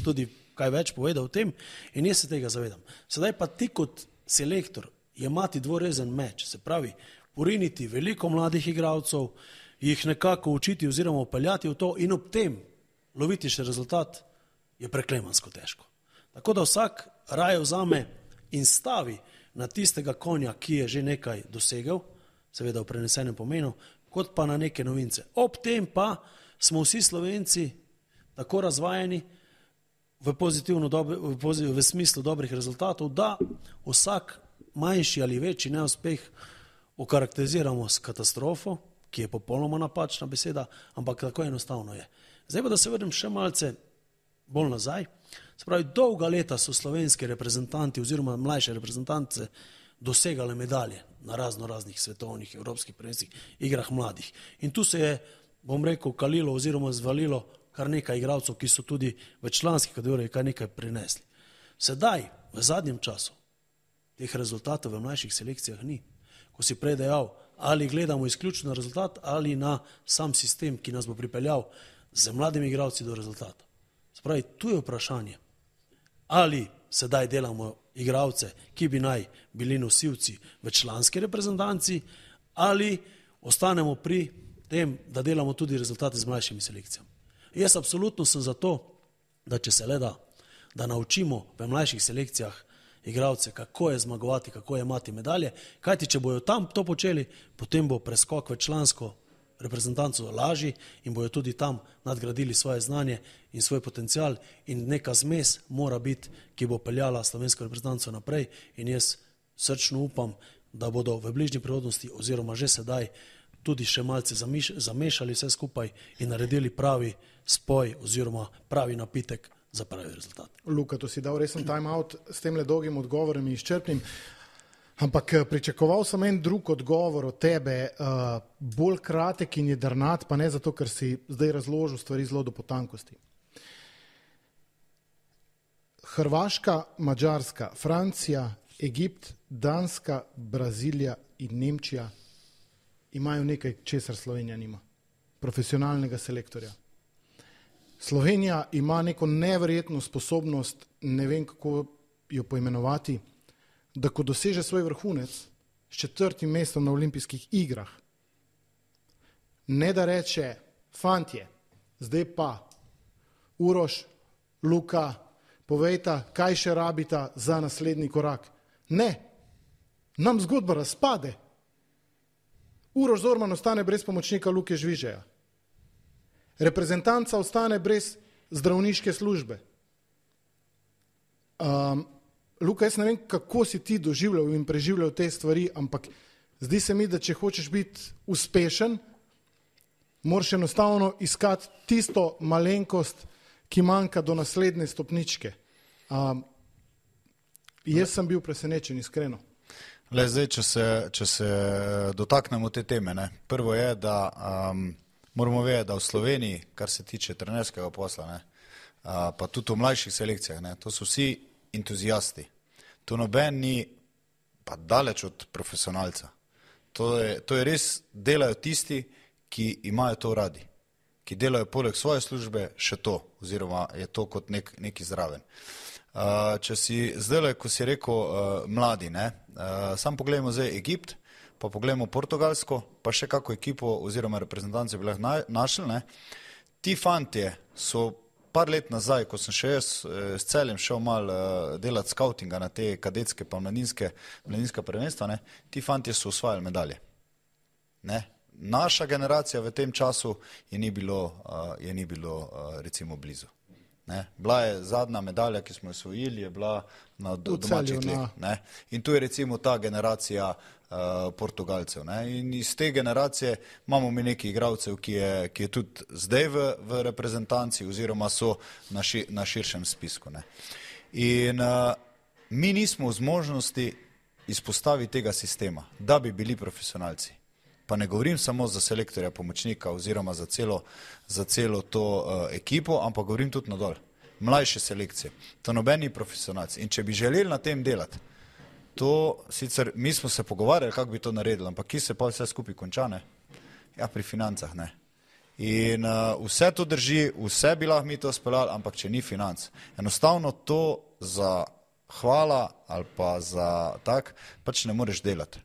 tudi kaj več povedal o tem in jaz se tega zavedam. Sedaj pa ti kot selektor imati dvorezen meč, se pravi, poriniti veliko mladih igralcev, jih nekako učiti oziroma upeljati v to in ob tem loviti še rezultat, je preklemansko težko. Tako da vsak raje vzame in stavi na tistega konja, ki je že nekaj dosegel, seveda v prenesenem pomenu, kot pa na neke novince. Ob tem pa smo vsi Slovenci tako razvajeni v, dobe, v, pozitiv, v smislu dobrih rezultatov, da vsak manjši ali večji neuspeh okarakteriziramo s katastrofo, ki je popolnoma napačna beseda, ampak tako enostavno je. Zdaj pa, da se vrnem še malce bolj nazaj. Se pravi, dolga leta so slovenski reprezentanti oziroma mlajše reprezentance dosegale medalje na razno raznih svetovnih, evropskih prvenstvih, igrah mladih. In tu se je, bom rekel, kalilo oziroma zvalilo kar nekaj igralcev, ki so tudi v članski kategoriji kar nekaj prinesli. Sedaj, v zadnjem času, teh rezultatov v mlajših selekcijah ni. Ko si prej dejal, ali gledamo izključno na rezultat ali na sam sistem, ki nas bo pripeljal z mladimi igralci do rezultata. Se pravi, tu je vprašanje, ali sedaj delamo igralce, ki bi naj bili nosilci v članski reprezentanci, ali ostanemo pri tem, da delamo tudi rezultate z mlajšimi selekcijami. Jaz absolutno sem za to, da če se le da, da naučimo v mlajših selekcijah igralce, kako je zmagovati, kako je imati medalje, kajti če bojo tam to počeli, potem bo preskok v člansko reprezentanco lažji in bojo tudi tam nadgradili svoje znanje in svoj potencial in neka zmes mora biti, ki bo peljala slovensko reprezentanco naprej in jaz srčno upam, da bodo v bližnji prihodnosti oziroma že sedaj tudi še malce zamešali vse skupaj in naredili pravi spoj oziroma pravi napitek za pravi rezultat. Luka, to si dal resen time out s tem le dolgim odgovorom in izčrpnim, ampak pričakoval sem en drug odgovor od tebe, uh, bolj kratek in jedrnat, pa ne zato, ker si zdaj razložil stvari zelo do potankosti. Hrvaška, Madžarska, Francija, Egipt, Danska, Brazilija in Nemčija imajo nekaj, česar Slovenija nima. Profesionalnega selektorja. Slovenija ima neko neverjetno sposobnost, ne vem kako jo poimenovati, da ko doseže svoj vrhunec s četrtim mestom na olimpijskih igrah, ne da reče, fantje, zdaj pa, Uroš, Luka, povejta, kaj še rabita za naslednji korak. Ne, nam zgodba razpade. Uroš Zorman ostane brez pomočnika Luke Žvižeja. Reprezentanca ostane brez zdravniške službe. Um, Luka, jaz ne vem, kako si ti doživljal in preživljal te stvari, ampak zdi se mi, da če hočeš biti uspešen, moraš enostavno iskati tisto malenkost, ki manjka do naslednje stopničke. Um, jaz sem bil presenečen, iskreno. Le zdaj, če se, če se dotaknemo te teme, ne. Prvo je, da um, moramo vedeti, da v Sloveniji, kar se tiče trenerskega posla, ne, uh, pa tudi v mlajših selekcijah, ne, to so vsi entuzijasti. To noben ni pa daleč od profesionalca. To je, to je res, delajo tisti, ki imajo to radi, ki delajo poleg svoje službe še to, oziroma je to kot nek, neki zraven. Uh, če si zdaj, ko si rekel uh, mladi, ne, uh, sam pogledamo zdaj Egipt, pa pogledamo Portugalsko, pa še kako ekipo oziroma reprezentance bi lahko na, našli, ne. Ti fantje so par let nazaj, ko sem še jaz s Celjem šel mal uh, delati skautinga na te kadetske pa mladinske, mladinska prvenstva, ne, ti fantje so osvajali medalje. Ne. Naša generacija v tem času je ni bilo, uh, je ni bilo uh, recimo blizu. Ne. Bila je zadnja medalja, ki smo jo osvojili, je bila na do, domačih tleh. Ne. In tu je recimo ta generacija uh, Portugalcev. Ne. In iz te generacije imamo mi nekaj igralcev, ki je, ki je tudi zdaj v, v reprezentanci oziroma so na, ši, na širšem spisku. Ne. In uh, mi nismo v zmožnosti izpostaviti tega sistema, da bi bili profesionalci. Pa ne govorim samo za selektorja, pomočnika oziroma za celo, za celo to uh, ekipo, ampak govorim tudi nadol. Mlajše selekcije. To nobeni profesionalci. In če bi želeli na tem delati, to sicer mi smo se pogovarjali, kako bi to naredili, ampak ki se pa vse skupaj konča, ne? Ja, pri financah, ne. In uh, vse to drži, vse bi lahko mi to speljali, ampak če ni financ. Enostavno to za hvala ali pa za tak, pač ne moreš delati.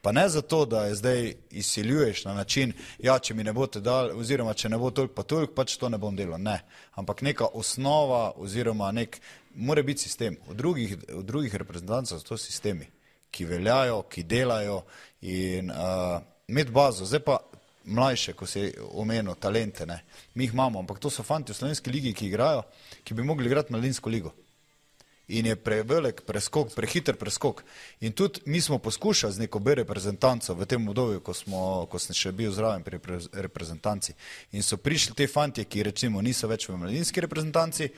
Pa ne zato, da je zdaj izsiljuješ na način, ja, če mi ne boste dali, oziroma če ne bo toliko pa toliko, pač to ne bom delal. Ne. Ampak neka osnova oziroma nek, mora biti sistem. V drugih, v drugih reprezentancah so to sistemi, ki veljajo, ki delajo in uh, imeti bazo. Zdaj pa mlajše, ko si omenil, talente, ne. Mi jih imamo, ampak to so fanti v slovenski ligi, ki igrajo, ki bi mogli igrati mladinsko ligo. In je prevelik preskok, prehiter preskok. In tudi mi smo poskušali z neko B reprezentanco v tem obdobju, ko, smo, ko sem še bil zraven pri reprezentanci. In so prišli te fantje, ki recimo niso več v mladinski reprezentanci,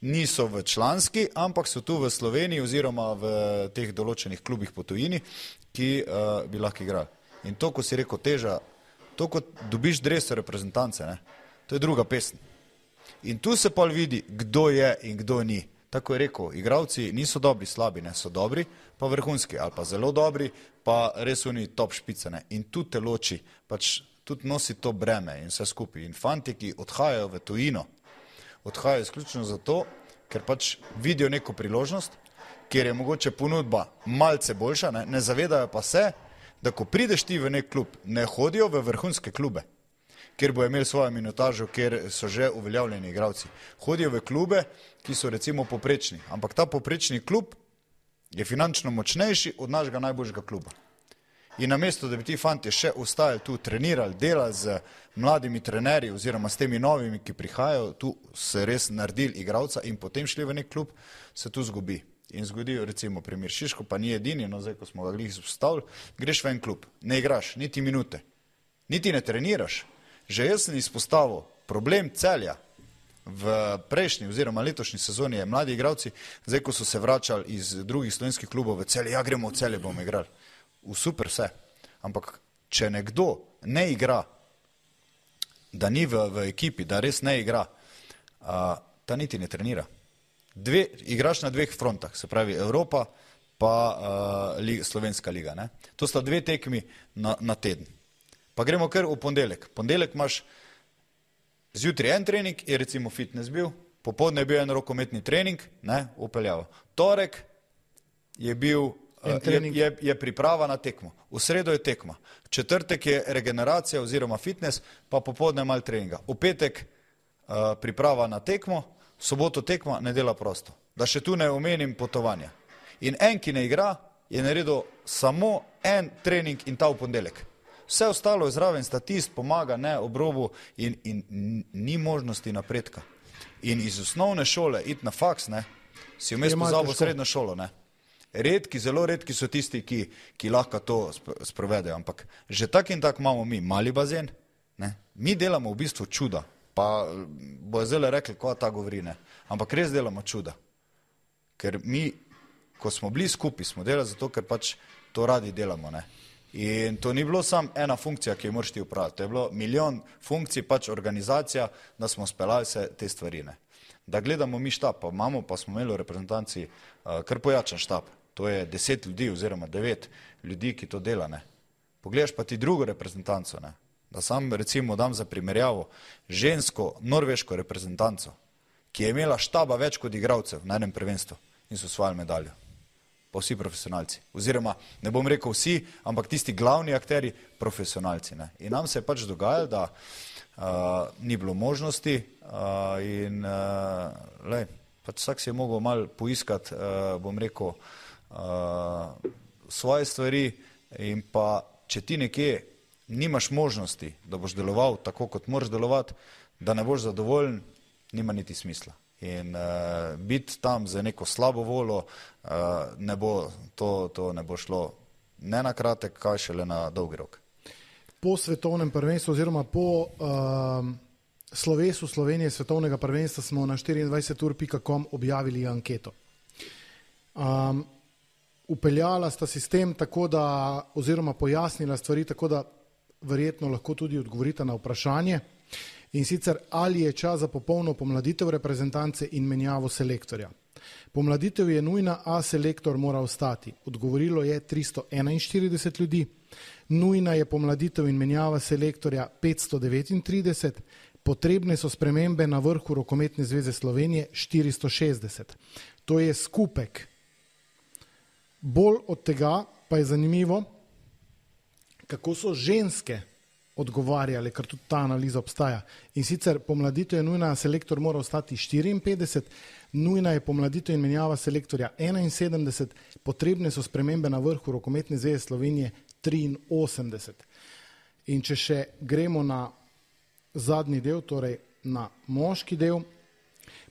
niso v članski, ampak so tu v Sloveniji oziroma v teh določenih klubih po tujini, ki uh, bi lahko igrali. In to, ko si rekel teža, to, ko dobiš dreso reprezentance, ne, to je druga pesem. In tu se pa vidi, kdo je in kdo ni. Tako je rekel, igravci niso dobri, slabi, ne, so dobri, pa vrhunski, ali pa zelo dobri, pa res oni top špice, ne. In tu te loči, pač tudi nosi to breme in vse skupaj. In fanti, ki odhajajo v tujino, odhajajo izključno zato, ker pač vidijo neko priložnost, kjer je mogoče ponudba malce boljša, ne, ne zavedajo pa se, da ko prideš ti v nek klub, ne hodijo v vrhunske klube, kjer bo imel svojo minutažo, kjer so že uveljavljeni igravci. Hodijo v klube, ki so recimo poprečni, ampak ta poprečni klub je finančno močnejši od našega najboljšega kluba. In namesto, da bi ti fanti še ostajali tu, trenirali, delali z mladimi trenerji oziroma s temi novimi, ki prihajajo, tu se res naredili igravca in potem šli v nek klub, se tu zgubi. In zgodijo recimo primer Šiško, pa ni edini, no zdaj, ko smo ga glih izpostavili, greš v en klub, ne igraš, niti minute, niti ne treniraš. Že jaz sem izpostavil problem Celja v prejšnji oziroma letošnji sezoni je mladi igravci, zdaj, ko so se vračali iz drugih slovenskih klubov v Celje, ja, gremo v Celje, bomo igrali. V super vse. Ampak, če nekdo ne igra, da ni v, v ekipi, da res ne igra, a, ta niti ne trenira. Dve, igraš na dveh frontah, se pravi Evropa pa a, li, Slovenska liga. Ne? To sta dve tekmi na, na teden. Pa gremo kar v ponedeljek. Ponedeljek imaš zjutraj en trening, je recimo fitness bil, popoldne je bil en rokometni trening, ne, upeljava. Torek je bil Je, je, je priprava na tekmo. V sredo je tekma. Četrtek je regeneracija oziroma fitness, pa popoldne malo treninga. V petek uh, priprava na tekmo, v soboto tekma, nedela prosto. Da še tu ne omenim potovanja. In en, ki ne igra, je naredil samo en trening in ta v ponedeljek. Vse ostalo je zraven, statist pomaga, ne, obrobu in, in ni možnosti napredka. In iz osnovne šole iti na faks, ne, si vmes pozabil srednjo šolo, ne. Redki, zelo redki so tisti, ki, ki lahko to sprovedejo, ampak že tak in tak imamo mi mali bazen, ne? Mi delamo v bistvu čuda, pa bojo zdaj rekli, ko ta govori, ne? Ampak res delamo čuda, ker mi, ko smo bili skupaj, smo delali zato, ker pač to radi delamo, ne? In to ni bilo samo ena funkcija, ki jo moraš ti upraviti, to je bilo milijon funkcij, pač organizacija, da smo speljali se te stvari, ne? Da gledamo mi štab, pa imamo, pa smo imeli v reprezentanci uh, kar pojačan štab. To je deset ljudi oziroma devet ljudi, ki to dela, ne. Pogledaš pa ti drugo reprezentanco, ne. Da sam recimo dam za primerjavo žensko norveško reprezentanco, ki je imela štaba več kot igralcev na enem prvenstvu in so osvojili medaljo. Pa vsi profesionalci. Oziroma, ne bom rekel vsi, ampak tisti glavni akteri profesionalci, ne. In nam se je pač dogajalo, da uh, ni bilo možnosti uh, in uh, lej, pač vsak si je mogel malo poiskati, uh, bom rekel, Uh, svoje stvari in pa, če ti nekje nimaš možnosti, da boš deloval tako, kot moraš delovati, da ne boš zadovoljen, nima niti smisla. In uh, biti tam za neko slabo voljo, uh, ne bo, to, to ne bo šlo ne na kratek, kaj šele na dolgi rok. Po svetovnem prvenstvu oziroma po uh, slovesu Slovenije svetovnega prvenstva smo na štiriindvajset ur pika com objavili anketo. Um, Upeljala sta sistem tako, da, oziroma pojasnila stvari tako, da verjetno lahko tudi odgovorita na vprašanje. In sicer, ali je čas za popolno pomladitev reprezentance in menjavo selektorja. Pomladitev je nujna, a selektor mora ostati. Odgovorilo je tristo enainštirideset ljudi. Nujna je pomladitev in menjava selektorja petsto devetintrideset. Potrebne so spremembe na vrhu Rokometne zveze Slovenije štiristo šestdeset. To je skupek. Bolj od tega pa je zanimivo, kako so ženske odgovarjale, ker tudi ta analiza obstaja. In sicer pomladitev je nujna, selektor mora ostati štiriinpetdeset, nujna je pomladitev in menjava selektorja enainsedemdeset, potrebne so spremembe na vrhu Rokometne zveze Slovenije triinosemdeset. In če še gremo na zadnji del, torej na moški del,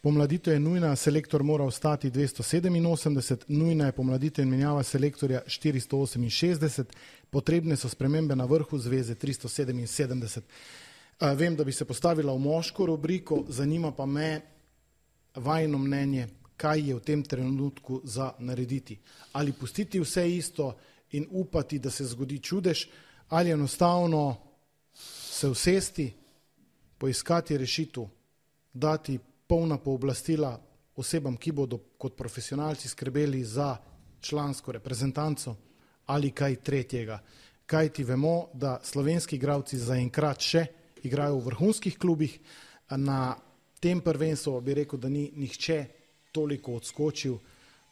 pomladitev je nujna, selektor mora ostati dvesto sedeminosemdeset, nujna je pomladitev in menjava selektorja štiristo oseminšestdeset, potrebne so spremembe na vrhu zveze tristo sedeminsedemdeset. Vem, da bi se postavila v moško rubriko, zanima pa me, vajino mnenje, kaj je v tem trenutku za narediti. Ali pustiti vse isto in upati, da se zgodi čudež, ali enostavno se usesti, poiskati rešitev, dati polna pooblastila osebam, ki bodo kot profesionalci skrbeli za člansko reprezentanco ali kaj tretjega. Kaj ti vemo, da slovenski igralci zaenkrat še igrajo v vrhunskih klubih, na tem prvenstvu bi rekel, da ni nihče toliko odskočil,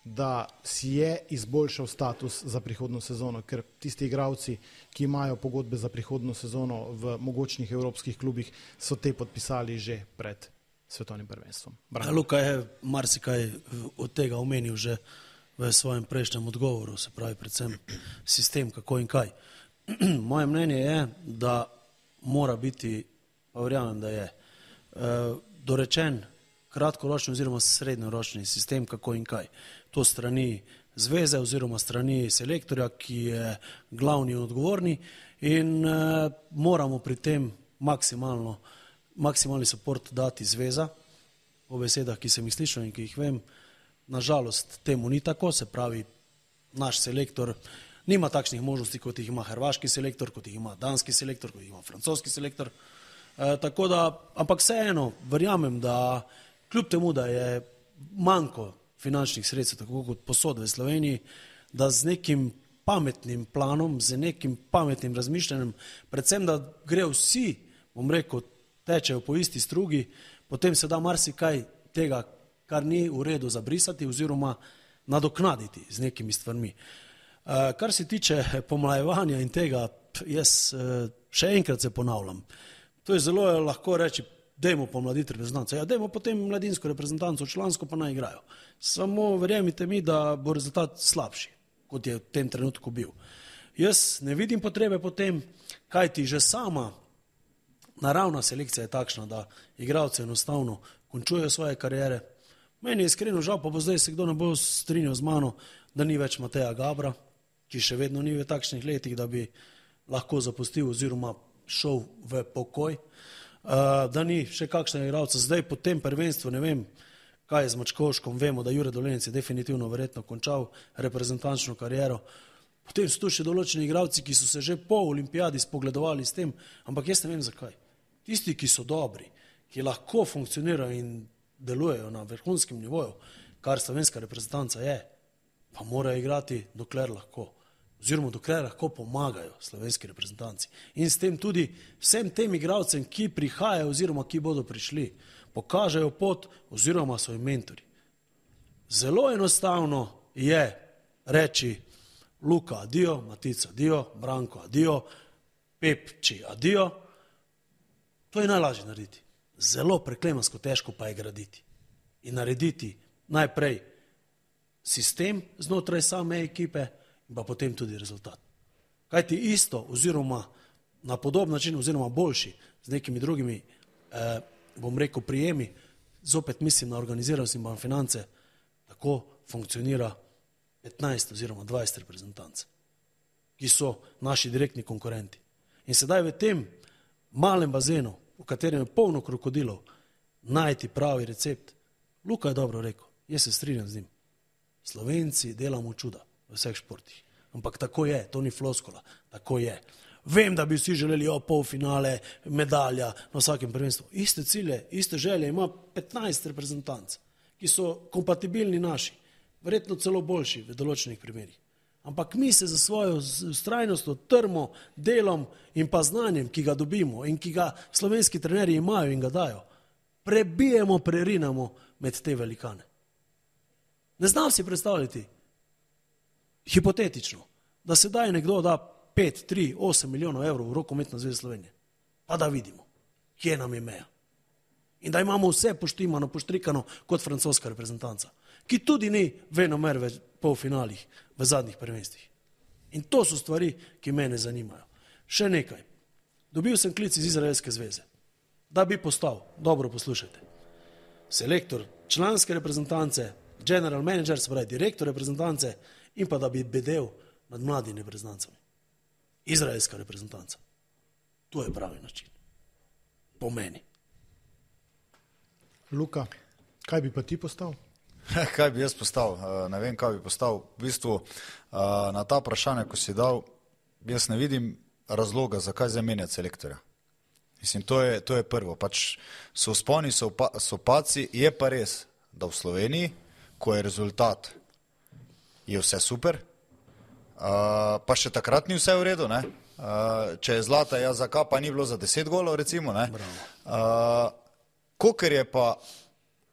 da si je izboljšal status za prihodno sezono, ker tisti igralci, ki imajo pogodbe za prihodno sezono v mogočnih evropskih klubih, so te podpisali že pred svetovnim prvenstvom. Ja, Luka je marsikaj od tega omenil že v svojem prejšnjem odgovoru, se pravi predvsem sistem, kako in kaj. Moje mnenje je, da mora biti, pa verjamem, da je, dorečen kratkoročni oziroma srednjeročni sistem, kako in kaj. To strani zveze oziroma strani selektorja, ki je glavni in odgovorni in eh, moramo pri tem maksimalno, maksimalni support dati zveza, po besedah, ki sem jih slišal in ki jih vem. Nažalost, temu ni tako, se pravi, naš selektor nima takšnih možnosti, kot jih ima hrvaški selektor, kot jih ima danski selektor, kot jih ima francoski selektor. E, tako da, ampak vseeno, verjamem, da kljub temu, da je manjko finančnih sredstev, tako kot posod v Sloveniji, da z nekim pametnim planom, z nekim pametnim razmišljanjem, predvsem, da gre vsi, bom rekel, tečejo po isti strugi, potem se da marsikaj tega, kar ni v redu zabrisati oziroma nadoknaditi z nekimi stvarmi. Kar se tiče pomlajevanja in tega, jaz še enkrat se ponavljam. To je zelo lahko reči, dajmo pomladiti reprezentanco. Ja, dajmo potem mladinsko reprezentanco, člansko pa naj igrajo. Samo verjemite mi, da bo rezultat slabši, kot je v tem trenutku bil. Jaz ne vidim potrebe potem, kajti že sama naravna selekcija je takšna, da igralci enostavno končujejo svoje kariere. Meni je iskreno žal, pa bo zdaj se kdo ne bo strinjal z mano, da ni več Mateja Gabra, ki še vedno ni v takšnih letih, da bi lahko zapustil oziroma šel v pokoj, da ni še kakšnega igralca. Zdaj po tem prvenstvu, ne vem, kaj je z Mačkovškom, vemo, da Jure Dolenec je definitivno verjetno končal reprezentančno kariero. Potem so tu še določeni igralci, ki so se že po olimpijadi spogledovali s tem, ampak jaz ne vem zakaj. Tisti, ki so dobri, ki lahko funkcionirajo in delujejo na vrhunskem nivoju, kar slovenska reprezentanca je, pa morajo igrati dokler lahko, oziroma dokler lahko pomagajo slovenski reprezentanci. In s tem tudi vsem tem igralcem, ki prihajajo oziroma ki bodo prišli, pokažejo pot oziroma so jim mentori. Zelo enostavno je reči Luka adijo, Matica adijo, Branko adijo, Pepči adijo. To je najlažje narediti. Zelo preklemansko težko pa je graditi. In narediti najprej sistem znotraj same ekipe in pa potem tudi rezultat. Kajti isto oziroma na podoben način oziroma boljši z nekimi drugimi, eh, bom rekel, prijemi, zopet mislim na organiziranost in pa finance, tako funkcionira petnajst oziroma dvajset reprezentanc, ki so naši direktni konkurenti. In sedaj v tem malem bazenu, v katerem je polno krokodilov, najti pravi recept. Luka je dobro rekel, jaz se strinjam z njim. Slovenci delamo čuda v vseh športih. Ampak tako je, to ni floskola, tako je. Vem, da bi vsi želeli o polfinale, medalja na vsakem prvenstvu. Iste cilje, iste želje ima petnajst reprezentanc, ki so kompatibilni naši, verjetno celo boljši v določenih primerih. Ampak mi se za svojo vztrajnostjo, trmo, delom in pa znanjem, ki ga dobimo in ki ga slovenski trenerji imajo in ga dajo, prebijemo, prerinamo med te velikane. Ne znam si predstavljati, hipotetično, da se daje nekdo da pet, tri, osem milijonov evrov v rokometno zvezo Slovenije. Pa da vidimo, kje nam je meja. In da imamo vse poštimano, poštrikano kot francoska reprezentanca, ki tudi ni venomer v polfinalih v zadnjih prvenstvih. In to so stvari, ki mene zanimajo. Še nekaj. Dobil sem klic iz Izraelske zveze, da bi postal, dobro poslušajte, selektor članske reprezentance, general manager, se pravi direktor reprezentance in pa da bi bedel nad mladimi reprezentancami. Izraelska reprezentanca. To je pravi način. Po meni. Luka. Kaj bi pa ti postal? Kaj bi jaz postal? Ne vem, kaj bi postal. V bistvu na ta vprašanje, ko si dal, jaz ne vidim razloga, zakaj zamenjati selektorja. Mislim, to je, to je prvo. Pač so vzponi, so, pa, so paci, je pa res, da v Sloveniji, ko je rezultat, je vse super, uh, pa še takrat ni vse v redu, ne? Uh, če je zlata, ja, za kapa ni bilo za deset golov, recimo, ne? Uh, Koker je pa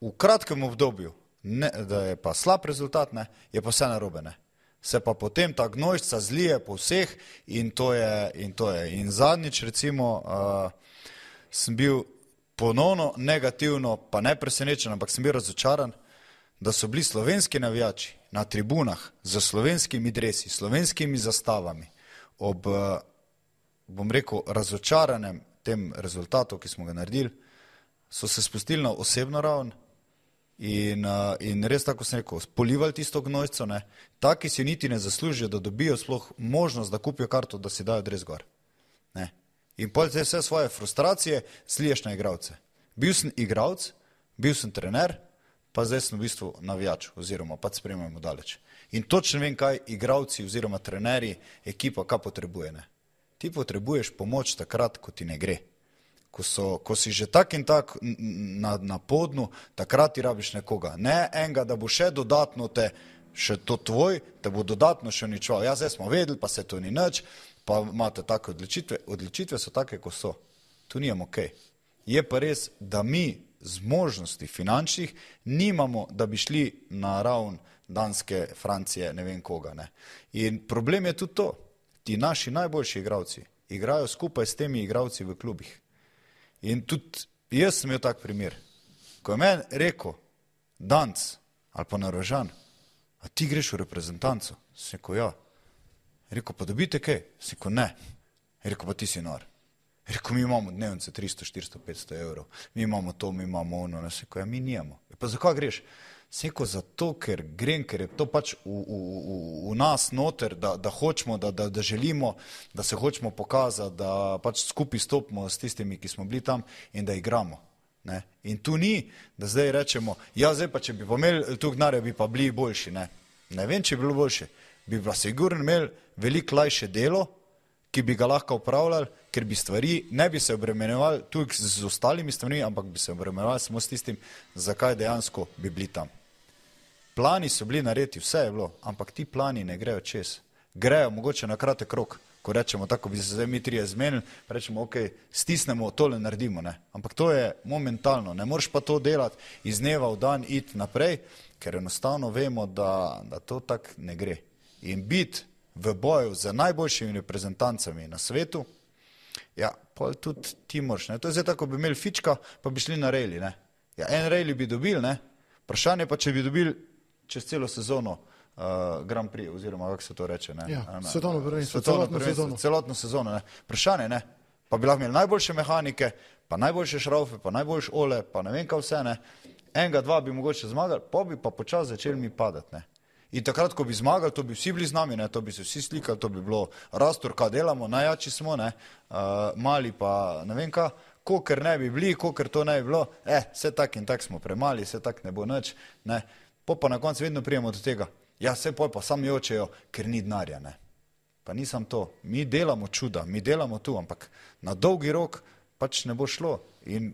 v kratkem obdobju, ne, da je pa slab rezultat, ne, je pa vse narobe, ne. Se pa potem ta gnojšca zlije po vseh in to je, in to je. In zadnjič, recimo, uh, sem bil ponovno negativno, pa ne presenečen, ampak sem bil razočaran, da so bili slovenski navijači na tribunah z slovenskimi dresi, slovenskimi zastavami, ob, bom rekel, razočaranem tem rezultatu, ki smo ga naredili, so se spustili na osebno raven in, in res tako sem rekel, polivali tisto gnojco, ne, taki si niti ne zaslužijo, da dobijo sploh možnost, da kupijo karto, da si dajo dres gor. Ne. In pol te vse svoje frustracije sliješ na igralce. Bil sem igralc, bil sem trener, pa zdaj sem v bistvu navijač oziroma pa spremljamo daleč. In točno vem, kaj igralci oziroma trenerji, ekipa, kaj potrebuje. Ne. Ti potrebuješ pomoč takrat, ko ti ne gre. Ko, so, ko si že tak in tak na, na podnu, takrat ti rabiš nekoga. Ne enega, da bo še dodatno te, še to tvoj, te bo dodatno še uničeval. Ja, zdaj smo vedeli, pa se to ni nič, pa imate take odločitve. Odločitve so take, ko so. Tu nijem okej. Je pa res, da mi z možnosti finančnih nimamo, da bi šli na ravn Danske, Francije, ne vem koga. Ne. In problem je tudi to. Ti naši najboljši igralci igrajo skupaj s temi igralci v klubih. In tudi jaz sem imel tak primer. Ko je meni rekel Danc ali pa Narožan, a ti greš v reprezentanco? Sem rekel, ja. Rekel, pa dobite kaj? Sem rekel, ne. Rekel, pa ti si nor. Rekel, mi imamo dnevnice tristo, štiristo, petsto evrov. Mi imamo to, mi imamo ono. Sem rekel, ja, mi nijemo. Pa zakaj greš? Sem rekel, zato, ker grem, ker je to pač v, v, v, v nas noter, da, da hočemo, da, da, da želimo, da se hočemo pokazati, da pač skupaj stopimo s tistimi, ki smo bili tam in da igramo. Ne? In tu ni, da zdaj rečemo, ja, zdaj pa, če bi pa imeli tu gnare, bi pa bili boljši. Ne, ne vem, če bi bilo boljše. Bi pa sigurno imeli veliko lajše delo, ki bi ga lahko upravljali, ker bi stvari, ne bi se obremenjevali tudi z ostalimi stvarmi, ampak bi se obremenjevali samo s tistim, zakaj dejansko bi bili tam. Plani so bili naredi, vse je bilo, ampak ti plani ne grejo čez. Grejo mogoče na kratek rok, ko rečemo tako, bi se zdaj mi trije zmenili, rečemo, ok, stisnemo, tole naredimo, ne. Ampak to je momentalno, ne moreš pa to delati iz dneva v dan, iti naprej, ker enostavno vemo, da, da to tako ne gre. In biti v boju z najboljšimi reprezentancami na svetu, ja, pa tudi ti moraš, ne. To je zdaj tako, bi imeli fička, pa bi šli na rejli, ne. Ja, en rejli bi dobili, ne. Vprašanje pa, če bi dobili čez celo sezono uh, Grand Prix, oziroma kako se to reče, ne? Ja, svetovno prvenstvo, celotno sezono. Celotno sezono, ne? Vprašanje, ne? Pa bi lahko imeli najboljše mehanike, pa najboljše šraufe, pa najboljše ole, pa ne vem kaj vse, ne? Enega, dva bi mogoče zmagali, pa bi pa počas začeli mi padati, ne? In takrat, ko bi zmagali, to bi vsi bili z nami, ne? To bi se vsi slikali, to bi bilo Rastor, kaj delamo, najjači smo, ne? Uh, mali pa ne vem kaj, koker ne bi bili, koker to ne bi bilo, eh, vse tak in tak smo premali, vse tak ne bo nič, ne? Po pa na koncu vedno prijemo do tega, ja, vse pol pa sam jočejo, ker ni denarja, ne. Pa nisem to, mi delamo čuda, mi delamo tu, ampak na dolgi rok pač ne bo šlo. In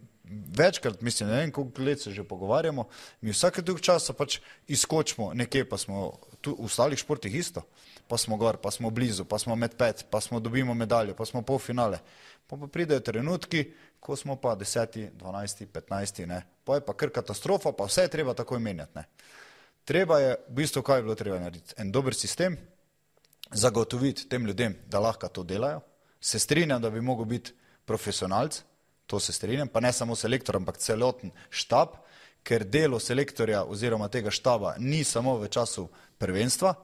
večkrat, mislim, ne vem, koliko let se že pogovarjamo, mi vsake dolg časa pač izkočimo nekje, pa smo tu v ostalih športih isto, pa smo gor, pa smo blizu, pa smo med pet, pa smo dobimo medaljo, pa smo polfinale. Pa pa pridejo trenutki, ko smo pa deseti, dvanajsti, petnajsti, ne. Pa je pa kar katastrofa, pa vse je treba takoj menjati, ne. Treba je, v bistvu, kaj je bilo treba narediti? En dober sistem, zagotoviti tem ljudem, da lahko to delajo. Se strinjam, da bi mogel biti profesionalc, to se strinjam, pa ne samo selektor, ampak celoten štab, ker delo selektorja oziroma tega štaba ni samo v času prvenstva.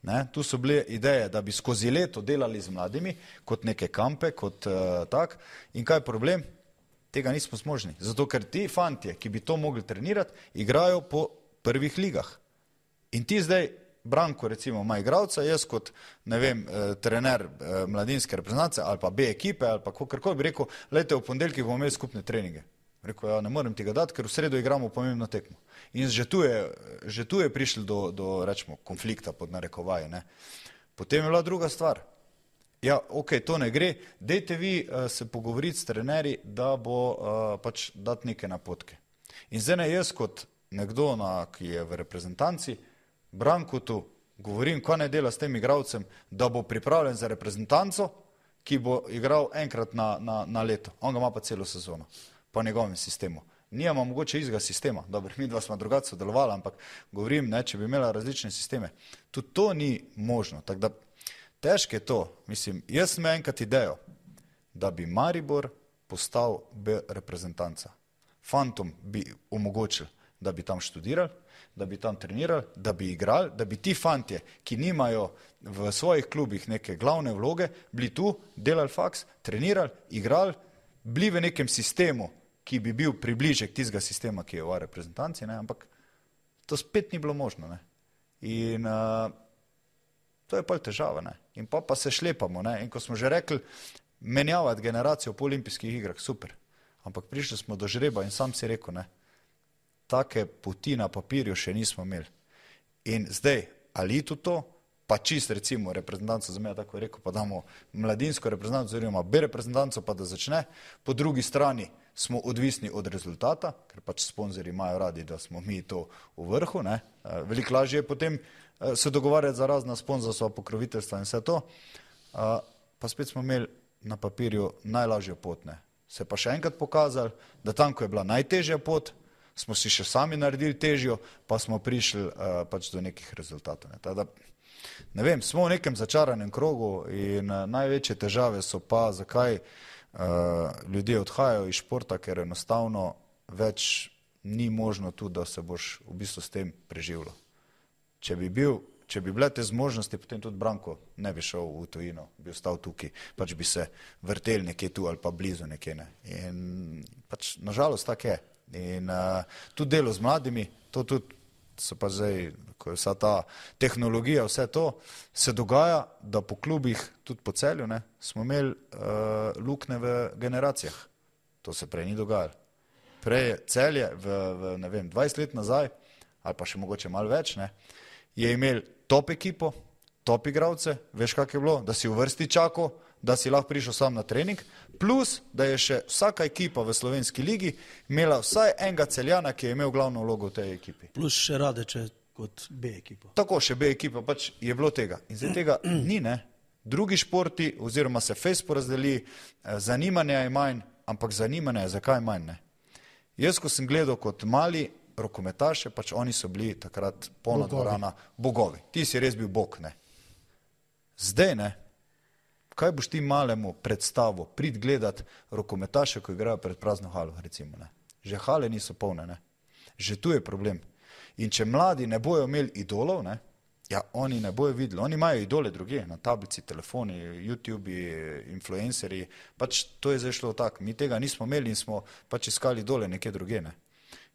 Ne? Tu so bile ideje, da bi skozi leto delali z mladimi, kot neke kampe, kot uh, tak. In kaj je problem? Tega nismo zmožni. Zato, ker ti fantje, ki bi to mogli trenirati, igrajo po prvih ligah. In ti zdaj, Branko recimo, ima igralca, jaz kot, ne vem, eh, trener eh, mladinske reprezentance ali pa B ekipe ali pa kakorkoli bi rekel, lejte, v ponedeljkih bomo imeli skupne treninge. Rekel, ja, ne morem ti ga dati, ker v sredo igramo pomembno tekmo. In že tu je, že tu je prišli do, do rečemo, konflikta pod narekovaji. Ne. Potem je bila druga stvar. Ja, ok, to ne gre. Dejte vi uh, se pogovoriti s trenerji, da bo uh, pač dati neke napotke. In zdaj ne jaz kot nekdo, na, ki je v reprezentanci, Brankotu govorim, kaj ne dela s tem igralcem, da bo pripravljen za reprezentanco, ki bo igral enkrat na, na, na leto. On ga ima pa celo sezono, po njegovem sistemu. Nijamo mogoče izga sistema, dobro, mi dva smo drugače sodelovali, ampak govorim, ne, če bi imela različne sisteme. Tudi to ni možno, tako da težko je to. Mislim, jaz sem enkrat idejo, da bi Maribor postal B reprezentanca. Fantom bi omogočil, da bi tam študirali, da bi tam trenirali, da bi igrali, da bi ti fantje, ki nimajo v svojih klubih neke glavne vloge, bili tu, delali faks, trenirali, igrali, bili v nekem sistemu, ki bi bil približek tistega sistema, ki je v reprezentanci, ne? Ampak to spet ni bilo možno. Ne? In uh, to je pa težava. Ne? In pa, pa se šlepamo. Ne? In ko smo že rekli, menjavati generacijo po olimpijskih igrah, super. Ampak prišli smo do žreba in sam si rekel, ne, take poti na papirju še nismo imeli. In zdaj, ali tudi to, pa čist recimo reprezentanco za me, tako je rekel, pa damo mladinsko reprezentanco, oziroma B reprezentanco, pa da začne. Po drugi strani smo odvisni od rezultata, ker pač sponzorji imajo radi, da smo mi to v vrhu. Ne. Veliko lažje je potem se dogovarjati za razna sponzorstva, pokroviteljstva in vse to. Pa spet smo imeli na papirju najlažjo pot. Ne. Se pa še enkrat pokazali, da tam, ko je bila najtežja pot, smo si še sami naredili težjo, pa smo prišli uh, pač do nekih rezultatov. Ne. Tada, ne vem, smo v nekem začaranem krogu in uh, največje težave so pa, zakaj uh, ljudje odhajajo iz športa, ker enostavno več ni možno tu, da se boš v bistvu s tem preživljal. Če bi bil Če bi bile te zmožnosti, potem tudi Branko ne bi šel v tujino, bi ostal tukaj, pač bi se vrtel nekje tu ali pa blizu nekje. Ne. In pač nažalost tako je. In uh, tudi delo z mladimi, to tudi so pa zdaj, ko je vsa ta tehnologija, vse to, se dogaja, da po klubih, tudi po Celju, ne, smo imeli uh, luknje v generacijah. To se prej ni dogajalo. Prej je Celje v, v ne vem, dvajset let nazaj, ali pa še mogoče malo več, ne, je imel top ekipo, top igralce, veš kak je bilo, da si v vrsti čakal, da si lahko prišel sam na trening, plus, da je še vsaka ekipa v slovenski ligi imela vsaj enega Celjana, ki je imel glavno vlogo v tej ekipi. Plus še Radeče kot B ekipa. Tako, še B ekipa, pač je bilo tega. In zdaj tega ni, ne. Drugi športi, oziroma se fejs porazdeli, zanimanja je manj, ampak zanimanja je zakaj manj, ne. Jaz, ko sem gledal kot mali rokometaše, pač oni so bili takrat polna dvorana bogovi. Ti si res bil bog, ne. Zdaj, ne, kaj boš ti malemu predstavo prid gledat rokometaše, ko igrajo pred prazno halo, recimo, ne. Že hale niso polne, ne. Že tu je problem. In če mladi ne bojo imeli idolov, ne, ja, oni ne bojo videli. Oni imajo idole druge, na tablici, telefoni, YouTube, influencerji, pač to je zdaj šlo tako. Mi tega nismo imeli in smo pač iskali idole nekje druge, ne.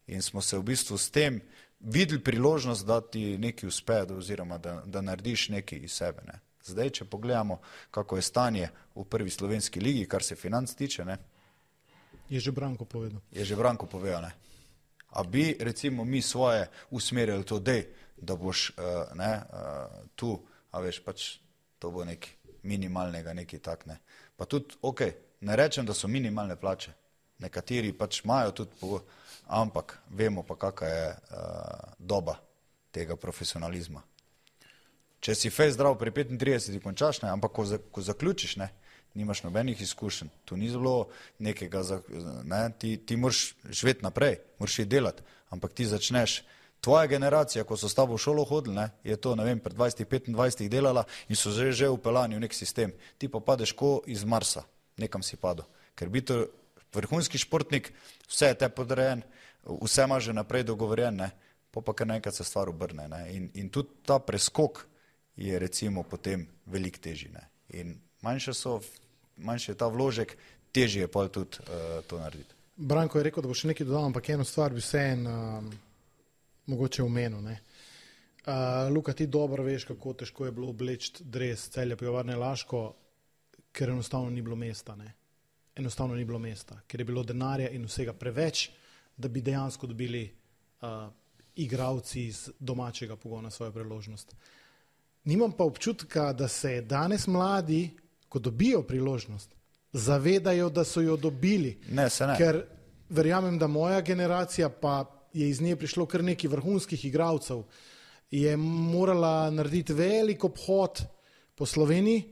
In smo se v bistvu s tem videli priložnost, da ti nekaj uspe, oziroma da, da narediš nekaj iz sebe. Ne. Zdaj, če pogledamo, kako je stanje v prvi slovenski ligi, kar se financ tiče, ne. Je že Branko povedal. Je že Branko povedal, ne. A bi, recimo, mi svoje usmerjali to, dej, da boš uh, ne, uh, tu, a veš, pač to bo nekaj minimalnega, nekaj tak, ne. Pa tudi, ok, ne rečem, da so minimalne plače. Nekateri pač imajo tudi pogo... Ampak vemo pa, kakva je uh, doba tega profesionalizma. Če si fej zdrav pri petintridesetih končaš, ne, ampak ko, za, ko zaključiš, ne, nimaš nobenih izkušenj, tu ni zelo nekega, za, ne, ti, ti moraš živeti naprej, moraš iti delati, ampak ti začneš, tvoja generacija, ko so s tabo v šolo hodili, ne, je to, ne vem, pred dvajset petindvajset delala in so že, že upeljani v nek sistem. Ti pa padeš ko iz Marsa, nekam si padel, ker biti vrhunski športnik, vse je te podrejen, vse ima že naprej dogovorjen, ne, pa pa kar nekaj se stvar obrne. Ne, in, in tudi ta preskok je recimo potem veliko težji. Ne, in manjše so, manjše je ta vložek, težje je pa tudi uh, to narediti. Branko je rekel, da bo še nekaj dodal, ampak eno stvar bi vse en um, mogoče omenil. Ne. Uh, Luka, ti dobro veš, kako težko je bilo obleči dres Celja Pivovarne Laško, ker enostavno ni bilo mesta. Ne. enostavno ni bilo mesta, ker je bilo denarja in vsega preveč, da bi dejansko dobili uh, igralci iz domačega pogona svojo priložnost. Nimam pa občutka, da se danes mladi, ko dobijo priložnost, zavedajo, da so jo dobili. Ne, se ne. Ker verjamem, da moja generacija, pa je iz nje prišlo kar nekaj vrhunskih igralcev, je morala narediti velik obhod po Sloveniji,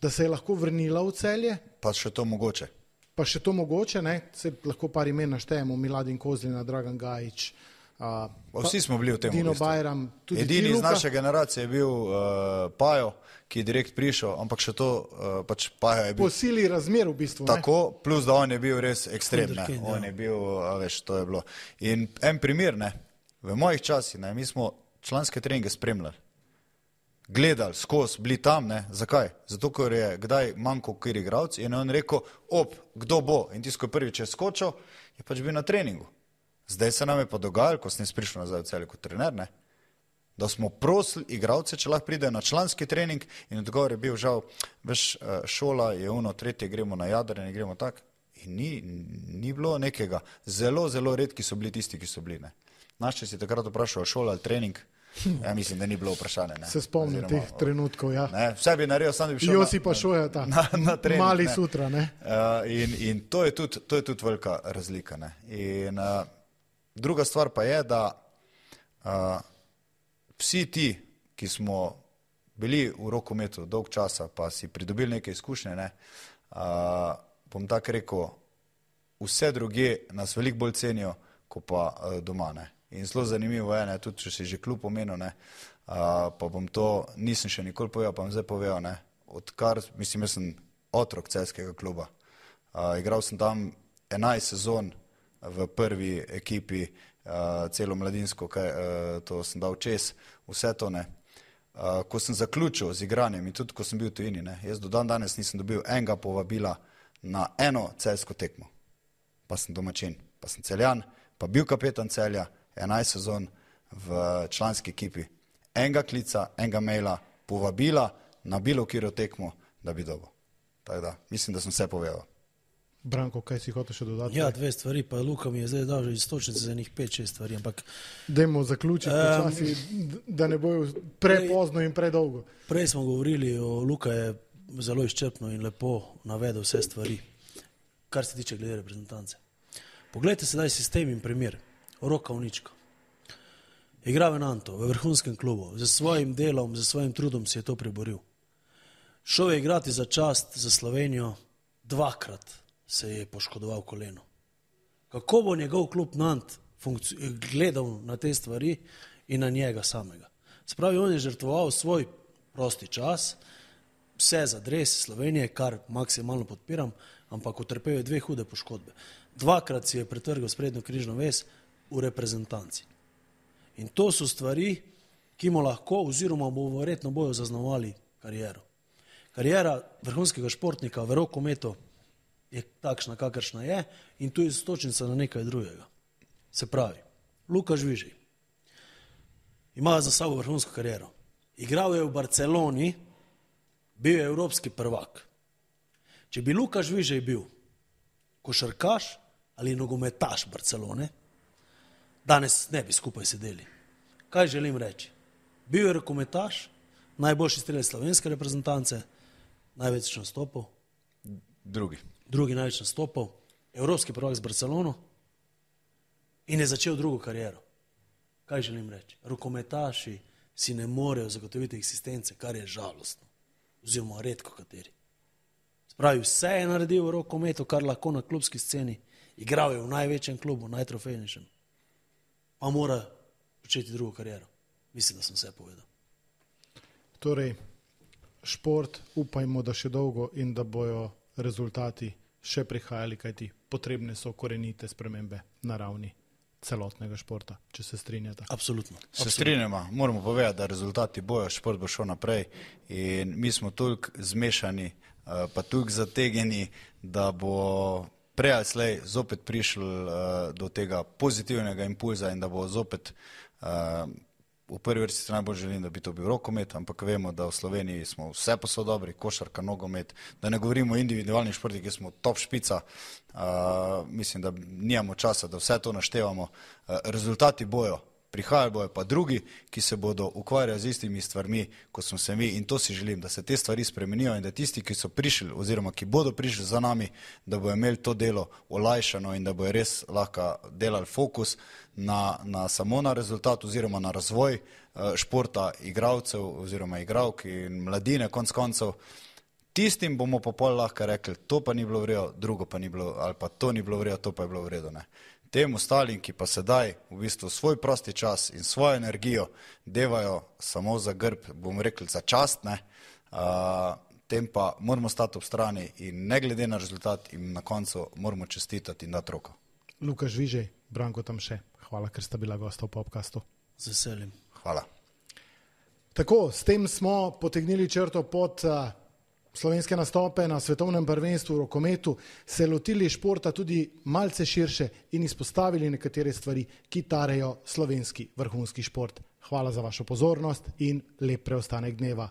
da se je lahko vrnila v Celje. Pa še to mogoče. Pa še to mogoče, ne? Se lahko par imen naštejemo, Miladin Kozlina, Dragan Gajić, uh, Vsi smo bili v tem. Dino v bistvu. Bajram, tudi Edini iz Luka. naše generacije je bil uh, Pajo, ki je direkt prišel, ampak še to, uh, pač Pajo je bil Po sili razmer v bistvu. tako, plus da on je bil res ekstrem, ne. Wunderkind, On ja. je bil, a veš, to je bilo. In en primer, ne, v mojih časih, ne, mi smo članske treninge spremljali, gledali skozi, bili tam, ne, zakaj? Zato, ker je kdaj manjko kjer igralci in je on rekel, op, kdo bo? In tisto, ko je prvič je skočil, je pač bil na treningu. Zdaj se nam je pa dogajalo, ko sem jaz prišel nazaj v Celje kot trener, ne, da smo prosili igralce, če lahko pridejo na članski trening in odgovor je bil žal, veš, šola je ono, tretje, gremo na jadranje, gremo tak. In ni, ni bilo nekega. Zelo, zelo redki so bili tisti, ki so bili, ne. Naš, če si takrat vprašal šola ali trening, ja, mislim, da ni bilo vprašanje, ne. Se spomnim Oziroma, teh trenutkov, ja. ne, vse bi naredil, sam bi šel Josi pa šoja ta, na, na trening, mali ne. sutra, ne. Uh, in in to, je tudi, to je tudi velika razlika. Ne. In uh, druga stvar pa je, da uh, vsi ti, ki smo bili v rokometu dolg časa, pa si pridobili neke izkušnje, ne, uh, bom tako rekel, vse druge nas veliko bolj cenijo, kot pa uh, doma. Ne. In zelo zanimivo je, ne, tudi če si že klub omenil, ne, uh, pa bom to, nisem še nikoli povedal, pa bom zdaj povedal, ne, odkar, mislim, jaz sem otrok celjskega kluba. Uh, igral sem tam enajst sezon v prvi ekipi, uh, celo mladinsko, kaj, uh, to sem dal čez, vse to, ne. Uh, ko sem zaključil z igranjem in tudi ko sem bil v tujini, ne, jaz do dan danes nisem dobil enega povabila na eno celjsko tekmo. Pa sem domačin, pa sem Celjan, pa bil kapetan Celja, enajst sezon v članski ekipi. Enega klica, enega maila, povabila na bilo katero tekmo, da bi dobil. Tako da, mislim, da sem vse povedal. Branko, kaj si hotel še dodati? Ja, dve stvari, pa Luka mi je zdaj dal že istočnice za njih pet, šest stvari, ampak Dajmo zaključiti Um, počasi, da ne bojo prepozno in predolgo. prej smo govorili, o Luka je zelo izčrpno in lepo navedel vse stvari, kar se tiče glede reprezentance. Poglejte sedaj sistem in primer. Roka Unička. Igra v Nantu, v vrhunskem klubu, z svojim delom, z svojim trudom si je to priboril. Šel je igrati za čast, za Slovenijo, dvakrat se je poškodoval koleno. Kako bo njegov klub Nant gledal na te stvari in na njega samega? Spravi, on je žrtvoval svoj prosti čas, vse za dres Slovenije, kar maksimalno podpiram, ampak utrpel je dve hude poškodbe. Dvakrat si je pretrgal sprednjo križno vez v reprezentanci. In to so stvari, ki mu lahko oziroma mu verjetno bojo zaznamovali kariero. Karijera vrhunskega športnika v rokometu je takšna, kakršna je, in tu je istočnica na nekaj drugega. Se pravi, Luka Žvižej ima za sabo vrhunsko kariero. Igral je v Barceloni, bil je evropski prvak. Če bi Luka Žvižej bil košarkaš ali nogometaš Barcelone, danes ne bi skupaj sedeli. Kaj želim reči? Bil je rokometaš, najboljši strelec slovenske reprezentance, največ nastopov, Drugi. drugi največ nastopov, evropski prvak z Barcelono in je začel drugo kariero. Kaj želim reči? Rokometaši si ne morejo zagotoviti eksistence, kar je žalostno, oziroma redko kateri. Spravi, vse je naredil v rokometu, kar lahko na klubski sceni, igral je v največjem klubu, najtrofejnejšem, pa mora početi drugo kariero. Mislim, da sem vse povedal. Torej, šport, upajmo, da še dolgo in da bojo rezultati še prihajali, kajti potrebne so korenite spremembe na ravni celotnega športa, če se strinjate. Absolutno. Se strinjamo, moramo povedati, da rezultati bojo, šport bo šel naprej in mi smo toliko zmešani, pa toliko zategeni, da bo prej ali slej zopet prišel do tega pozitivnega impulza in da bo zopet v prvi vrsti se najbolj želim, da bi to bil rokomet, ampak vemo, da v Sloveniji smo vse posod dobri, košarka, nogomet, da ne govorimo o individualnih športih, ki smo top špica, uh, mislim, da nijamo časa, da vse to naštevamo. Uh, rezultati bojo, prihajajo bojo pa drugi, ki se bodo ukvarjali z istimi stvarmi, kot smo se mi, in to si želim, da se te stvari spremenijo in da tisti, ki so prišli oziroma ki bodo prišli za nami, da bojo imeli to delo olajšano in da bojo res lahko delali fokus na, na samo na rezultat oziroma na razvoj uh, športa igralcev oziroma igralk in mladine konc koncev. Tistim bomo pa pol lahko rekli, to pa ni bilo v redu, drugo pa ni bilo, ali pa to ni bilo v redu, to pa je bilo v redu, ne. Tem ostalim, ki pa sedaj v bistvu svoj prosti čas in svojo energijo devajo samo za grb, bomo rekli za čast, ne, uh, tem pa moramo stati ob strani in ne glede na rezultat in na koncu moramo čestitati in dati roko. Luka Žvižej, Branko Tamše, hvala, ker sta bila gosta v podcastu. Z veseljem. Hvala. Tako, s tem smo potegnili črto pod uh, slovenske nastope na svetovnem prvenstvu v rokometu, se lotili športa tudi malce širše in izpostavili nekatere stvari, ki tarejo slovenski vrhunski šport. Hvala za vašo pozornost in lep preostanek dneva.